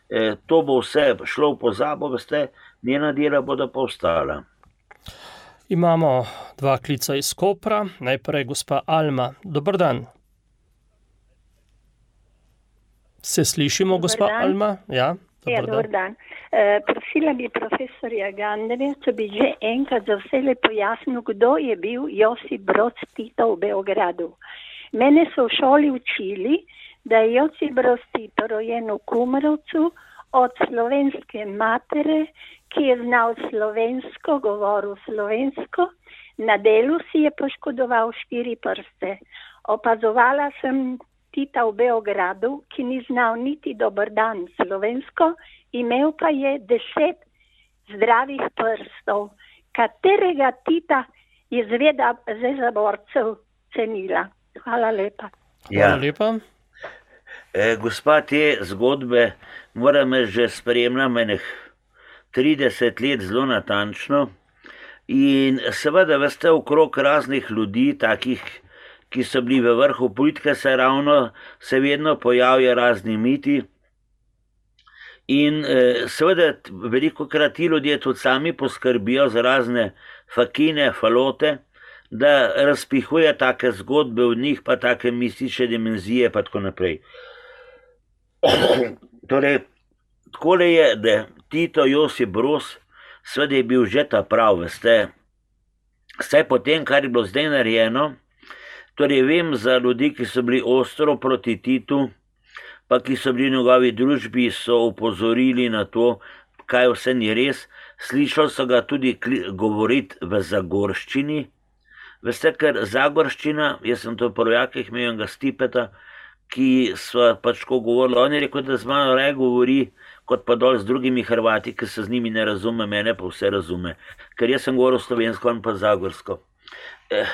E, to bo vse šlo v pozabo, veste, njena dela bodo pa ostala. Imamo dva klica iz Kopra. Najprej gospa Alma. Dobar dan. Se slišimo, gospa Alma? Ja. Ja, dober dan. E, prosila bi profesorja Gandarja, če bi že enkrat za vse pojasnil, kdo je bil Josip Broz Tito v Beogradu. Mene so v šoli učili, da je Josip Broz Tito rojen v Kumrovcu od slovenske matere, ki je znal slovensko, govoril slovensko, na delu si je poškodoval štiri prste. Opazovala sem Tita v Beogradu, ki ni znal niti dober dan slovensko, imel pa je deset zdravih prstov, katerega Tita je zveda zezaborcev cenila. Hvala lepa. Ja. Hvala lepa. E, gospa, te zgodbe moram že spremljam enih trideset let zelo natančno in seveda veste okrog raznih ljudi, takih, ki so bili v vrhu politike, se ravno se vedno pojavijo razni miti in e, seveda veliko krat ti ljudje tudi sami poskrbijo za razne fakine, falote, da razpihuje take zgodbe v njih, pa take mistične dimenzije, pa tako naprej. Torej, takole je, da Tito Josip Broz, seveda je bil že ta prav, veste, vse potem, kar je bilo zdaj narejeno, torej vem za ljudi, ki so bili ostro proti Titu, pa ki so bili v njegovi družbi, so upozorili na to, kaj vse ni res. Slišal so ga tudi govoriti v zagorščini. Veste, ker zagorščina, jaz sem to v Rojakih imel enega Stipeta, ki so pač ko govorili, on je rekel, da z mano raje govori, kot pa dol z drugimi Hrvati, ki se z njimi ne razume, mene pa vse razume. Ker jaz sem govoril slovensko, on pa zagorsko. Eh,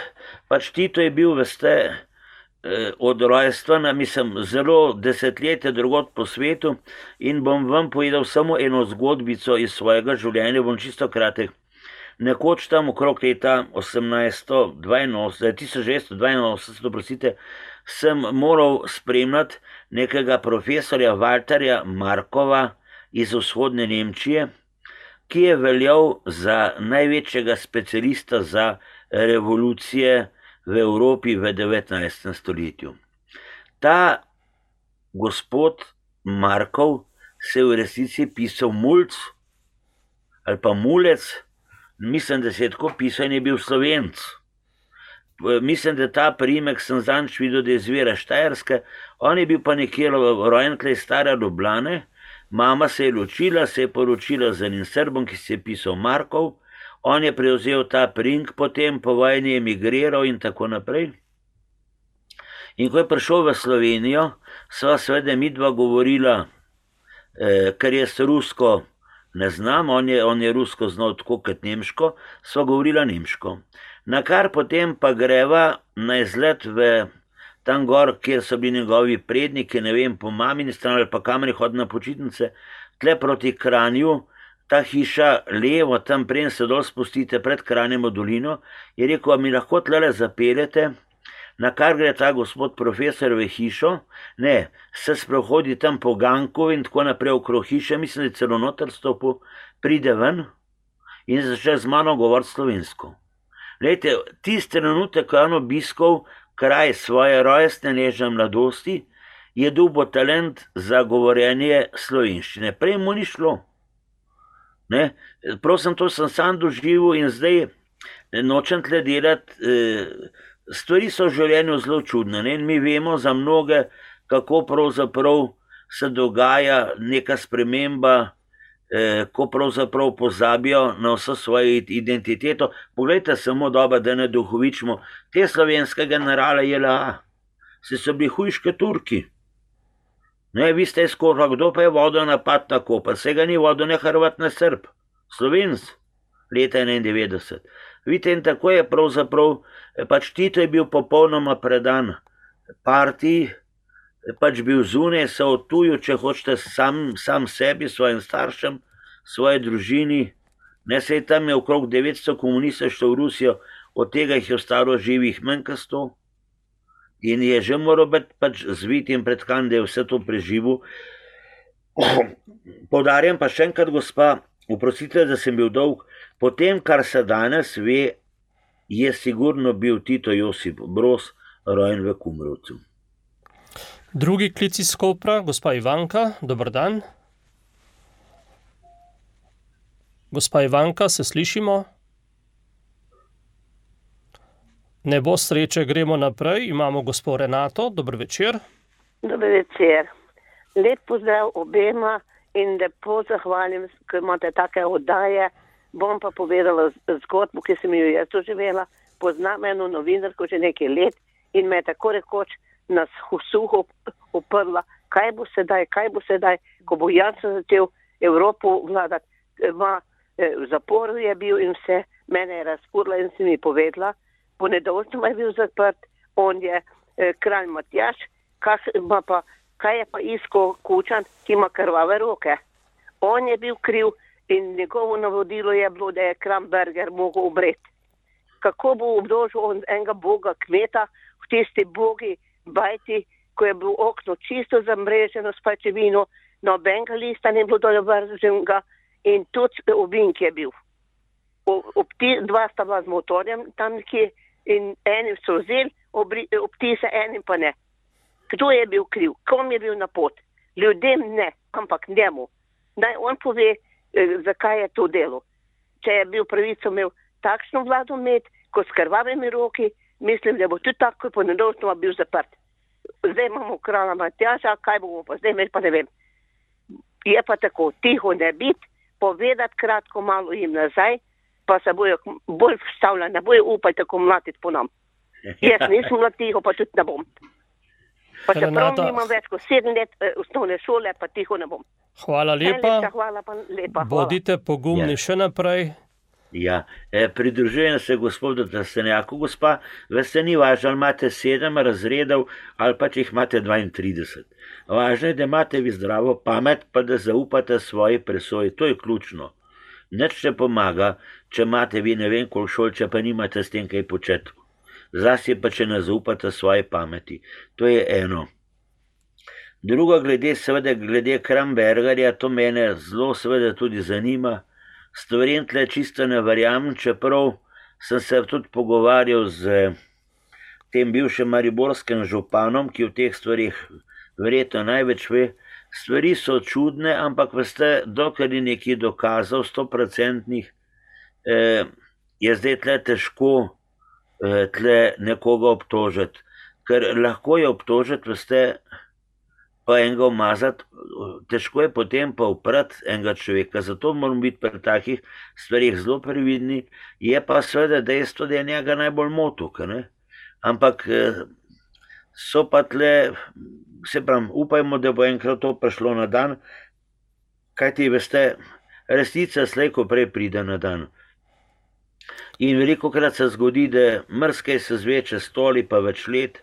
pač Tito je bil, veste, eh, od rojstva, mislim, zelo desetletje drugod po svetu in bom vam povedal samo eno zgodbico iz svojega življenja, bom čisto kratek. Nekoč tam okrog leta osemnajststo dvainosemdeset, tisoč devetsto dvainosemdeset, prosite, sem moral spremljati nekega profesorja Walterja Markova iz vzhodne Nemčije, ki je veljal za največjega specialista za revolucije v Evropi v devetnajstem stoletju. Ta gospod Markov se v resnici pisal Mulc ali pa Mulec, mislim, da se je tako pisal in je bil Slovenc. Mislim, da ta priimek sem zanč videl, da je izvira Štajerske, on je bil pa nekje rojen tle stare Ljubljane, mama se je ločila, se je poročila z enim Srbom, ki se je pisal Markov, on je prevzel ta priimek, potem po vojni je emigriral in tako naprej. In ko je prišel v Slovenijo, sva seveda midva govorila, eh, ker jaz rusko ne znam, on je, on je rusko znal tako kot nemško, sva govorila nemško. Na kar potem pa greva na izlet v tam gor, kjer so bili njegovi predniki, ne vem, po mamini strani ali pa kameri hod na počitnice, tle proti Kranju, ta hiša levo, tam preden se dol spustite pred Kranjem v dolino, je rekel, a mi lahko tlele zapeljete, na kar gre ta gospod profesor v hišo, ne, se sprehodi tam po ganku in tako naprej okrog hiše, mislim, da je celo noter stopil, pride ven in začne z mano govoriti slovensko. Glejte, tisti trenutek, ko je on obiskal kraj svoje rojstne nežne mladosti, je dobil talent za govorjenje slovenščine. Prej mu ni šlo. Ne? Prosim, to sem sam doživel in zdaj nočem tle delati. Stvari so v življenju zelo čudne. Ne? Mi vemo za mnoge, kako pravzaprav se dogaja neka sprememba, ko pravzaprav pozabijo na vso svojo identiteto. Poglejte samo dobro, da ne duhovičimo. Te slovenske generale J L A, se so bili hujške Turki. Ne, vi ste izkorili, kdo pa je vodil napad na Koper? Se ga ni vodil ne Hrvat, ne Srb. Slovenc, leta enaindevetdeset. Vidite, in tako je pravzaprav, pač Tito je bil popolnoma predan partiji, pač bil zunaj, se odtujil, če hočete, sam, sam sebi, svojim staršem, svoji družini. Ne, se je tam je okrog devetsto komunistov šlo v Rusijo, od tega jih je ostalo živih manj kot sto. In je že moral biti pač zvit in pretkan, da je vse to preživel. Poudarjam pa še enkrat, gospa, oprostite, da sem bil dolg, po tem, kar se danes ve, je sigurno bil Tito Josip Broz rojen v Kumrovcu. Drugi klic iz Kopra, gospa Ivanka, dober dan. Gospa Ivanka, se slišimo? Ne bo sreče, gremo naprej. Imamo gospo Renato, dober večer. Dober večer. Lep pozdrav obema in lepo zahvalim, ker imate take oddaje. Bom pa povedala zgodbo, ki sem jo jaz doživela. Poznam eno novinarko že nekaj let in me je tako rekoč na suho uprla, kaj bo sedaj, kaj bo sedaj, ko bo Janša začel Evropo vladati. Ma, v zaporu je bil in vse, mene je razpurla in si mi povedala, po nedolžnem je bil zaprt, on je eh, kralj Matjaž, kaj, pa, kaj je pa iskal Kučan, ki ima krvave roke. On je bil kriv in njegovo navodilo je bilo, da je Kramberger mogel umreti. Kako bo obdožil on enega boga kmeta v tisti bogi bajti, ko je bilo okno čisto zamreženo s pajčevino, nobenega lista ne bilo dovrženega in tudi ovink je bil. Ob ti, dva sta bila z motorjem tam nekje in enim so vzeli obtise, enim pa ne. Kdo je bil kriv? Kom je bil na pot? Ljudem ne, ampak njemu. Naj on pove, eh, zakaj je to delo. Če je bil pravico imel takšno vlado imeti, ko s krvavimi roki, mislim, da bo tudi tako po nedolžnoma bil zaprt. Zdaj imamo kralja Matjaža, kaj bomo pa zdaj imeli, pa ne vem. Je pa tako, tiho ne biti, povedati kratko malo jim nazaj, pa se bojo bolj vstavljali, ne bojo upaj tako mlatiti po nam. Jaz nisem bila tiho, pa tudi ne bom. Pa čeprav Renata, nimam več kot sedem let eh, osnovne šole, pa tiho ne bom. hvala lepa. Najlepša hvala, pa lepa. Hvala. Bodite pogumni Ja. še naprej. Ja, e, pridružujem se gospodu Trstenjaku, gospa, veste, ni važno, ali imate sedem razredov ali pa če jih imate dvaintrideset. Važno je, da imate vi zdravo pamet, pa da zaupate svoji presoji, to je ključno. Nič ne pomaga, če imate vi ne vem koliko šol, če pa nimate s tem kaj početi. Zlasti pa, če ne zaupate svoji pameti. To je eno. Drugo, glede, seveda, glede Krambergerja, to mene zelo seveda tudi zanima. Stvarim tle čisto ne verjamem, čeprav sem se tudi pogovarjal z tem bivšim mariborskim županom, ki v teh stvarih verjetno največ ve. Stvari so čudne, ampak veste, dokler je nekaj dokazal, stoprocentnih, eh, je zdaj tle težko eh, tle nekoga obtožiti. Ker lahko je obtožiti, veste, pa enega umazati, težko je potem pa uprati enega človeka, zato moramo biti pri takih stvarih zelo previdni, je pa seveda dejstvo, da je njega najbolj motil, ne? Ampak eh, so pa tle, se pravim, upajmo, da bo enkrat to prišlo na dan, kajti veste, resnica slej ko prej pride na dan. In velikokrat se zgodi, da mrskaj se zveče stoli pa več let,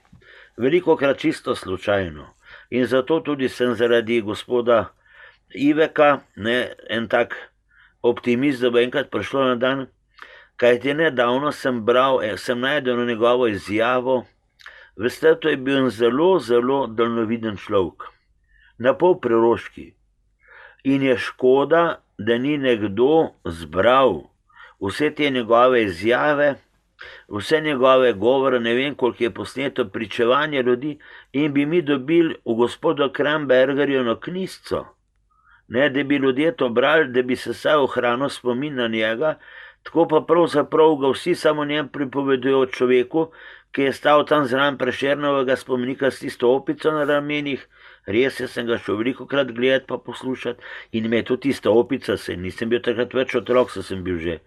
velikokrat čisto slučajno. In zato tudi sem zaradi gospoda Iveka, ne, en tak optimist, da bo enkrat prišlo na dan, kajti nedavno sem bral, sem najdel njegovo izjavo, veste, to je bil en zelo, zelo daljnoviden človek, na pol preroški. In je škoda, da ni nekdo zbral vse te njegove izjave, vse njegove govore, ne vem, koliko je posneto pričevanje ljudi, in bi mi dobili v gospodu Krambergerju eno knjižico, ne, da bi ljudje to brali, da bi se saj ohranil spomin na njega, tako pa pravzaprav ga vsi samo njem pripovedujo o človeku, ki je stal tam zraven Prešernovega spomenika s tisto opico na ramenih. Res je, sem ga šel velikokrat gledati pa poslušati in me je tudi tista opica, se nisem bil takrat več otrok, so sem bil že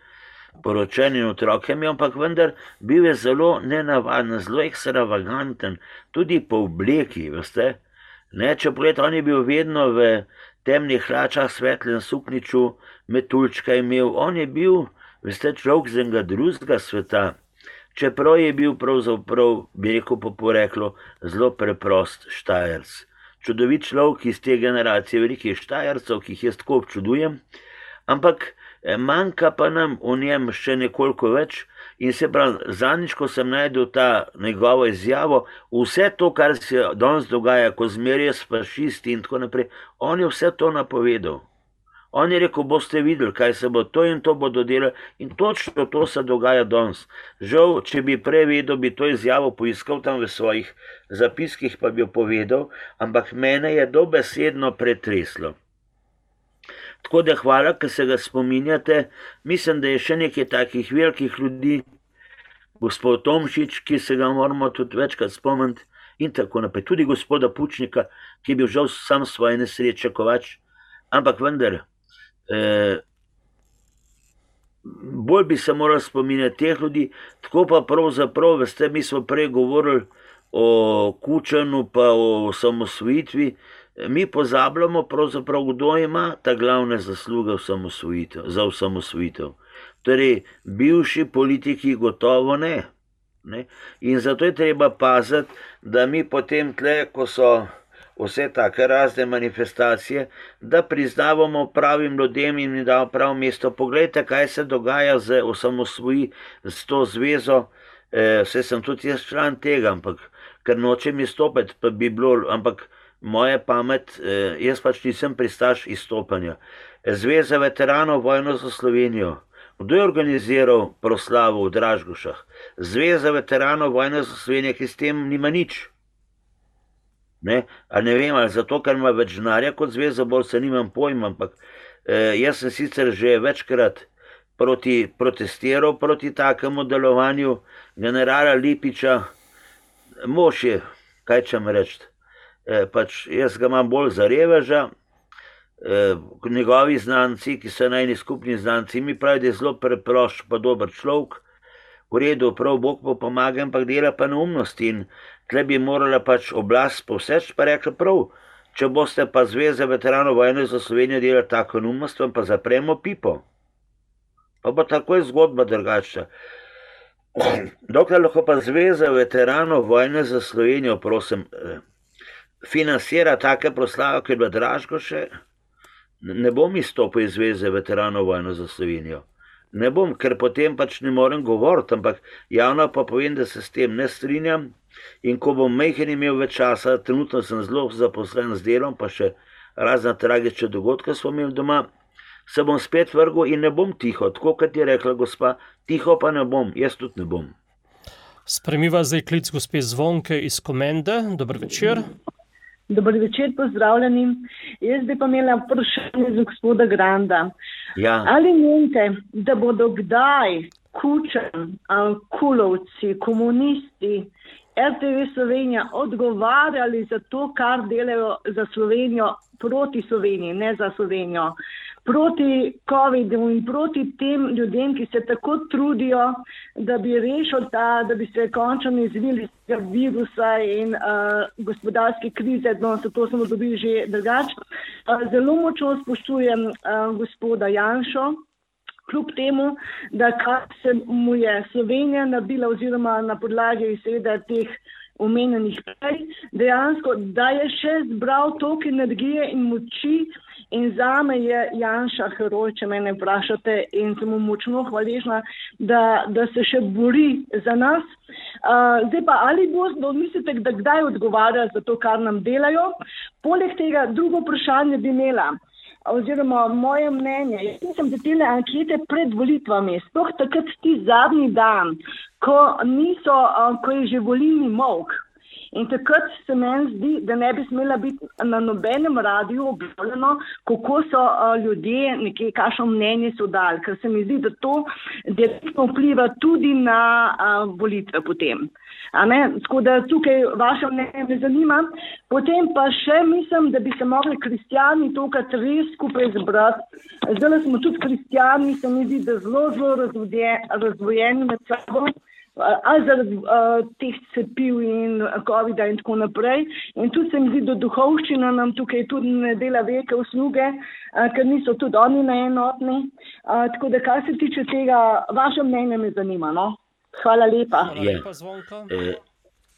poročen in otrokem, ampak vendar bil je zelo nenavaden, zelo ekstravaganten, tudi po obleki, veste. Ne, če pogledate, on je bil vedno v temnih hlačah, svetlem sukniču, metuljčka imel, on je bil, veste, človek z enega drugega sveta, čeprav je bil pravzaprav, bi rekel po poreklu, zelo preprost Štajerc. Čudovit človek iz te generacije velikih Štajercev, ki jih jaz tako občudujem, ampak manjka pa nam v njem še nekoliko več in se pravi, zadnjič, ko sem najdel ta njegovo izjavo, vse to, kar se danes dogaja, ko zmerja s fašisti in tako naprej, on je vse to napovedal. On je rekel, boste videli, kaj se bo to in to bodo delali in točno to se dogaja danes. Žal, če bi prej vedel, bi to izjavo poiskal tam v svojih zapiskih, pa bi jo povedal, ampak mene je dobesedno pretreslo. Tako da hvala, ker se ga spominjate. Mislim, da je še nekaj takih velikih ljudi, gospod Tomšič, ki se ga moramo tudi večkrat spomniti in tako naprej. Tudi gospoda Pučnika, ki je bil žal sam svoje nesreče kovač, ampak vendar, eh, bolj bi se moral spominjati teh ljudi, tako pa pravzaprav, veste, mi smo prej govorili o Kučanu pa o osamosvojitvi, mi pozabljamo pravzaprav, kdo ima ta glavne zasluge za osamosvojitev. Torej, bivši politiki gotovo ne. ne. In zato je treba paziti, da mi potem tle, ko so vse take razne manifestacije, da priznavamo pravim ljudem in jim damo pravo mesto. Poglejte, kaj se dogaja z osamosvoji, s to zvezo, e, vse sem tudi jaz član tega, ampak ker nočem izstopiti, pa bi bilo, ampak moja pamet, e, jaz pač nisem pristaš izstopanja. Zveza veteranov vojno za Slovenijo. Kdo je organiziral proslavo v Dražgošah? Zveza veteranov vojne za Slovenijo, ki s tem nima nič. Ne, a ne vem, ali zato, ker ima več denarja kot zveza, bolj se nimam pojma, ampak eh, jaz sem sicer že večkrat proti, protestiral proti takemu delovanju generala Lipiča. Mož je, kaj čem reči, eh, pač jaz ga imam bolj za reveža, eh, njegovi znanci, ki so najni skupni znanci, mi pravi, da je zelo preprost pa dober človek, v redu, prav Bog pa pomaga, ampak dela pa neumnosti in tle bi morala pač oblast povseč, pa rekla prav, če boste pa Zveza veteranov vojne za Slovenijo delali tako neumnost, vam pa zapremo pipo. Pa bo takoj zgodba drugačna. Dokler lahko pa Zveza veteranov vojne za Slovenijo, prosim, financira take proslave, ki je bila Dražgoše, ne bom izstopil iz Zveze veteranov vojne za Slovenijo. Ne bom, ker potem pač ne morem govoriti, ampak javno pa povem, da se s tem ne strinjam in ko bom majhen imel več časa, trenutno sem zelo zaposlen z delom, pa še razna tragične dogodke smo imeli doma, se bom spet vrgel in ne bom tiho, tako kot je rekla gospa, tiho pa ne bom, jaz tudi ne bom. Spremiva zdaj klic gospe Zvonke iz Komende. Dober večer. Dober večer, pozdravljeni. Jaz bi pa imela vprašanje za gospoda Granda. Ja. Ali menite, da bodo kdaj Kučan, Kulovci, komunisti, R T V Slovenija odgovarjali za to, kar delajo za Slovenijo, proti Sloveniji, ne za Slovenijo, proti covidu in proti tem ljudem, ki se tako trudijo, da bi rešili ta, da bi se končno izvili iz tega virusa in uh, gospodarske krize, no, zato smo dobili že drugače. Uh, zelo močno spoštujem uh, gospoda Janšo, kljub temu, da kar se mu je Slovenija nabila oziroma na podlagi seveda teh omenjenih prej, dejansko, da je še zbral toliko energije in moči in zame je Janša heroj, če mene vprašate, in sem mu močno hvaležna, da, da se še bori za nas. Uh, zdaj pa, ali bodo, mislite, da kdaj odgovarja za to, kar nam delajo? Poleg tega, drugo vprašanje bi imela, oziroma moje mnenje, jaz nisem za tele ankete pred volitvami, sploh takrat ti zadnji dan, ko niso, uh, ko je že volilni molk. In takrat se meni zdi, da ne bi smela biti na nobenem radiju objavljeno, kako so uh, ljudje, nekaj, kakšno mnenje so dali, ker se mi zdi, da to direktno vpliva tudi na uh, volitve potem. A ne? Tako da tukaj vaše mnenje me zanima. Potem pa še mislim, da bi se mogli kristjani tokrat res skupaj zbrati. Zdaj smo tudi kristjani, se mi zdi, da zelo, zelo razdvojeni med sabo. Ali zaradi uh, teh cepiv in covida in tako naprej. In tudi se mi zdi, da duhovščina nam tukaj tudi ne dela velike usluge, uh, ker niso tudi oni neenotni. Uh, tako da, kar se tiče tega, vaše mnenje me zanima, no? Hvala lepa. Hvala lepa, Zvonka. Ja,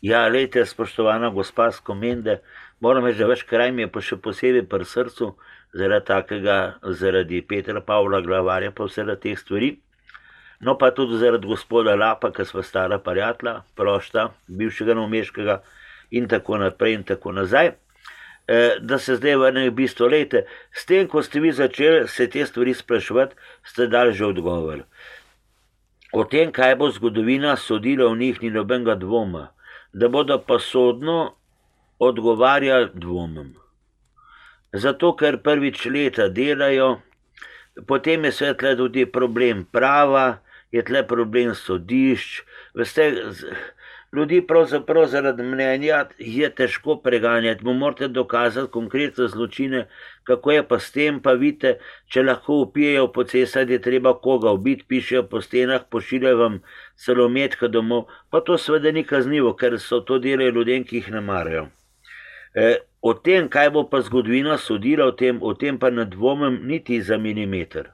ja, lejte, spoštovana gospa z Komende, moram reči, da več kraj mi je pa še posebej pri srcu, zaradi takega, zaradi Petra Pavla Glavarja, pa vse teh stvari. No pa tudi zaradi gospoda Lapa, ki sva stara prijatelja, prošta, bivšega novomeškega in tako naprej in tako nazaj. E, da se zdaj vrnem v bistvo, lejte, s tem, ko ste vi začeli se te stvari spraševati, ste dali že odgovor. O tem, kaj bo zgodovina sodila v njih, ni nobenega dvoma. Da bodo pa sodno odgovarjali, dvomim. Zato, ker prvič leta delajo, potem je svetla tudi problem prava, je tle problem sodišč. Veste, ljudi pravzaprav zaradi mnenja je težko preganjati. Mu morate dokazati konkretne zločine, kako je pa s tem, pa vidite, če lahko upijejo po cestah, je treba koga ubiti, pišejo po stenah, pošiljajo vam celo metka domov, pa to seveda ni kaznivo, ker so to delali ljudem, ki jih ne marajo. E, o tem, kaj bo pa zgodovina sodila, o tem, o tem pa ne dvomim niti za milimeter.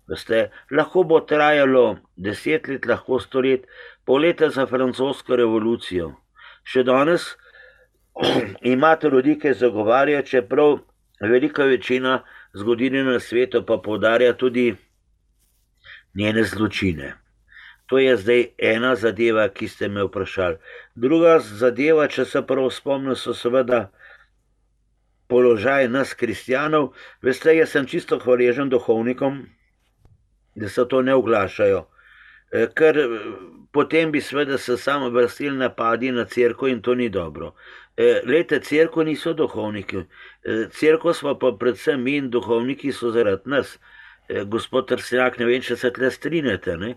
Veste, lahko bo trajalo deset let, lahko sto let, pol leta za francosko revolucijo. Še danes imate ljudi, ki zagovarjajo, čeprav velika večina zgodovine na svetu pa poudarja tudi njene zločine. To je zdaj ena zadeva, ki ste me vprašali. Druga zadeva, če se prav spomnim, so seveda položaj nas kristjanov. Veste, jaz sem čisto hvaležen duhovnikom, da se to ne oglašajo, ker potem bi seveda se samo vrstili napadi na cerkev in to ni dobro. Lejte, cerkev niso duhovniki, cerkev smo pa predvsem mi in duhovniki so zaradi nas. Gospod Trstenjak, ne vem, če se tle strinjate, ne?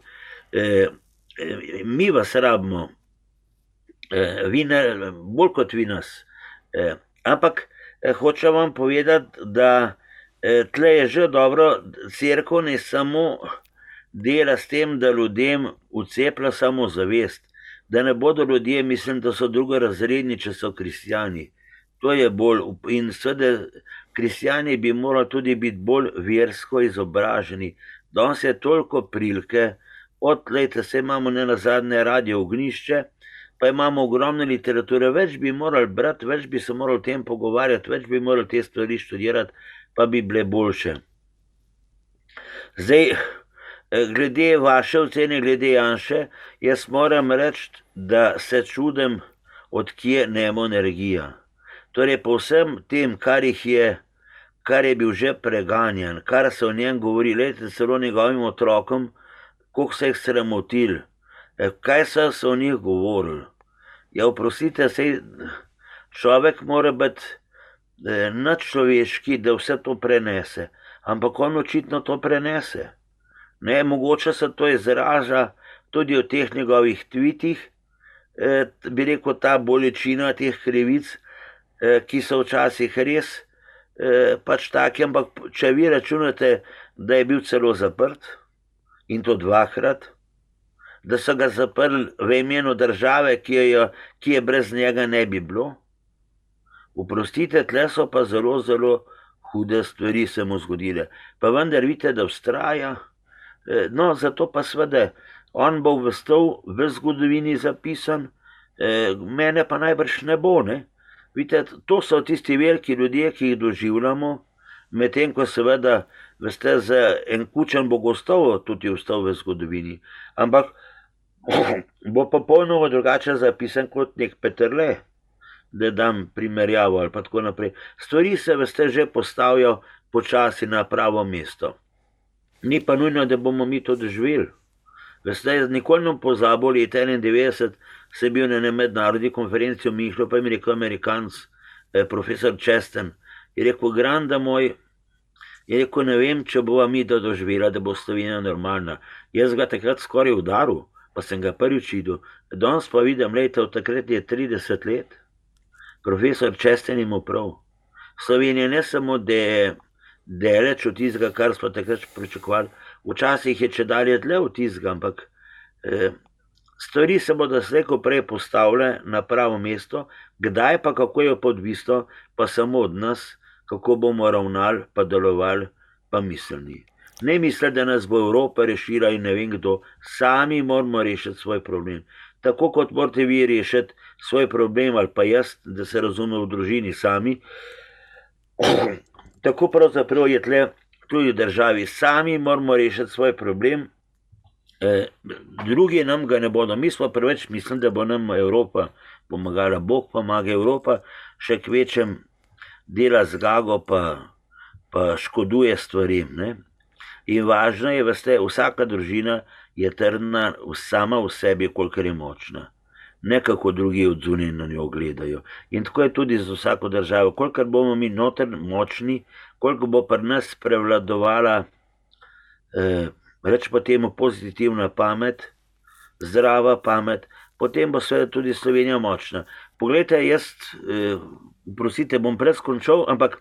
Mi vas rabimo, vi ne, bolj kot vi nas. Ampak hočem vam povedati, da tle je že dobro, cerkev ne samo dela s tem, da ljudem vceplja samo zavest, da ne bodo ljudje, mislim, da so drugorazredni, če so kristjani. To je bolj, in seveda kristjani bi morali tudi biti bolj versko izobraženi. Danes je toliko prilike, od leta se imamo ne nazadnje radio Ognišče, pa imamo ogromne literature, več bi morali brati, več bi se morali o tem pogovarjati, več bi morali te stvari študirati, pa bi bile boljše. Zdaj, glede vaše ocene, glede Janše, jaz moram reči, da se čudim, odkje njemu energija. Torej, po vsem tem, kar jih je, kar je bil že preganjan, kar se o njem govori, lejte, celo njegovim otrokom, koliko se jih sramotil, kaj so se o njih govorili. Ja, oprostite, sej človek mora biti nadčloveški, da vse to prenese, ampak on očitno to prenese. Ne, mogoče se to izraža tudi v teh njegovih tweetih, bi rekel, ta bolečina teh krivic, ki so včasih res pač taki, ampak če vi računate, da je bil celo zaprt, in to dvakrat, da so ga zaprli v imenu države, ki je, ki je brez njega ne bi bilo, oprostite, tle so pa zelo, zelo hude stvari se mu zgodile. Pa vendar vidite, da vztraja, no, zato pa seveda, on bo vestal v zgodovini zapisan, mene pa najbrž ne bo, ne. Vidite, to so tisti veliki ljudje, ki jih doživljamo, medtem ko seveda, veste, za en kučan bo gostovo tudi vstal v zgodovini, ampak bo popolnoma drugače zapisan kot nek Peterle, da dam primerjavo ali pa tako naprej. Stvari se, veste, že postavijo počasi na pravo mesto. Ni pa nujno, da bomo mi to doživeli. Veste, nikoli ne pozabo, leta enaindevetdeset se bil na mednarodni konferenci v Münchnu, pa jim rekel Amerikanc, profesor Chesten, je rekel, Granda moj, je rekel, ne vem, če bova mi to doživela, da bo Slovenija normalna. Jaz ga takrat skoraj udaril, pa sem ga prvič videl. Danes pa vidim, lejte, od takrat je trideset let, profesor Chesten ima prav. Slovenija ne samo, da je daleč od tistega, kar smo takrat pričakovali, včasih je če dalje dlje od tistega, ampak eh, stvari se bodo slejko prej postavile na pravo mesto, kdaj pa kako je podvisno, pa samo od nas, kako bomo ravnali, pa delovali, pa mislili. Ne misli, da nas bo Evropa rešila in ne vem kdo, sami moramo rešiti svoj problem. Tako kot morate vi rešiti svoj problem, ali pa jaz, da se razume v družini sami, tako pravzaprav je tle tudi v državi. Sami moramo rešiti svoj problem, e, drugi nam ga ne bodo. Mi smo preveč mislili, da bo nam Evropa pomagala. Bog pomaga, Evropa še k večjem dela zgago, pa, pa škoduje stvarim. Ne? In važno je, veste, vsaka družina je trdna sama v sebi, kolikor je močna. Ne kako drugi od zunaj na njo gledajo. In tako je tudi z vsako državo. Kolikor bomo mi noter močni, koliko bo pri nas prevladovala, eh, reč pa temu pozitivna pamet, zdrava pamet, potem bo seveda tudi Slovenija močna. Poglejte, jaz, prosite, bom preskončal, ampak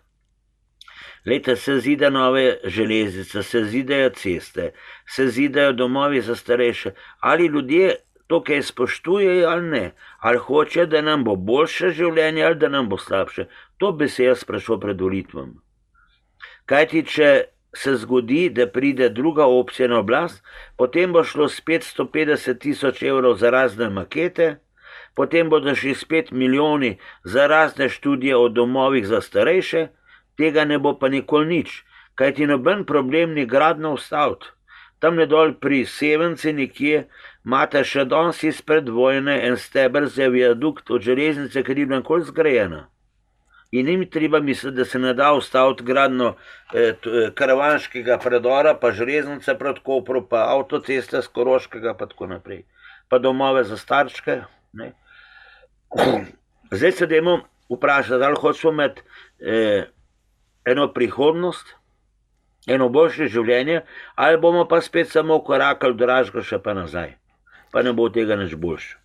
lejte, se zida nove železnice, se zidajo ceste, se zidajo domovi za starejše. Ali ljudje to, kaj spoštujejo ali ne, ali hoče, da nam bo boljše življenje ali da nam bo slabše. To bi se jaz sprašal pred volitvam. Kajti, če se zgodi, da pride druga opcija na oblast, potem bo šlo s petsto petdeset tisoč evrov za razne makete, potem bodo šli spet milijoni za razne študije o domovih za starejše, tega ne bo pa nikoli nič, kajti noben problem ni gradno ustaviti. Tam nedol pri Sevenci nekje imate še danes izpred vojne en steber za viadukt od železnice, ker je bila nikoli zgrajena. In ni mi treba misliti, da se ne da ustaviti gradno eh, karavanškega predora, pa železnice proti Kopru, pa avtoceste z Koroškega, pa tako naprej. Pa domove za starčke. Ne. Zdaj se dajmo vprašati, ali hočemo imeti eh, eno prihodnost, eno boljše življenje, ali bomo pa spet samo korakali do Dražga še pa nazaj. Pa ne bo tega nič boljše.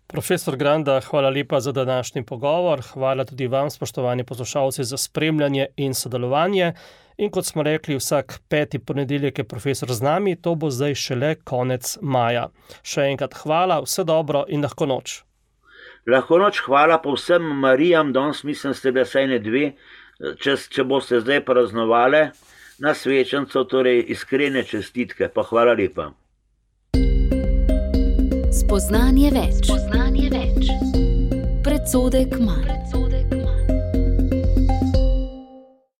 Profesor Granda, hvala lepa za današnji pogovor. Hvala tudi vam, spoštovani poslušalci, za spremljanje in sodelovanje. In kot smo rekli, vsak peti ponedeljek je profesor z nami, to bo zdaj šele konec maja. Še enkrat hvala, vse dobro in lahko noč. Lahko noč, hvala pa vsem Marijam, danes mislim, ste bile vsaj ne dve, če, če boste zdaj praznovali na svečanco, torej iskrene čestitke, pa hvala lepa. Spoznanje več. Spoznanje več. Predsodek manj.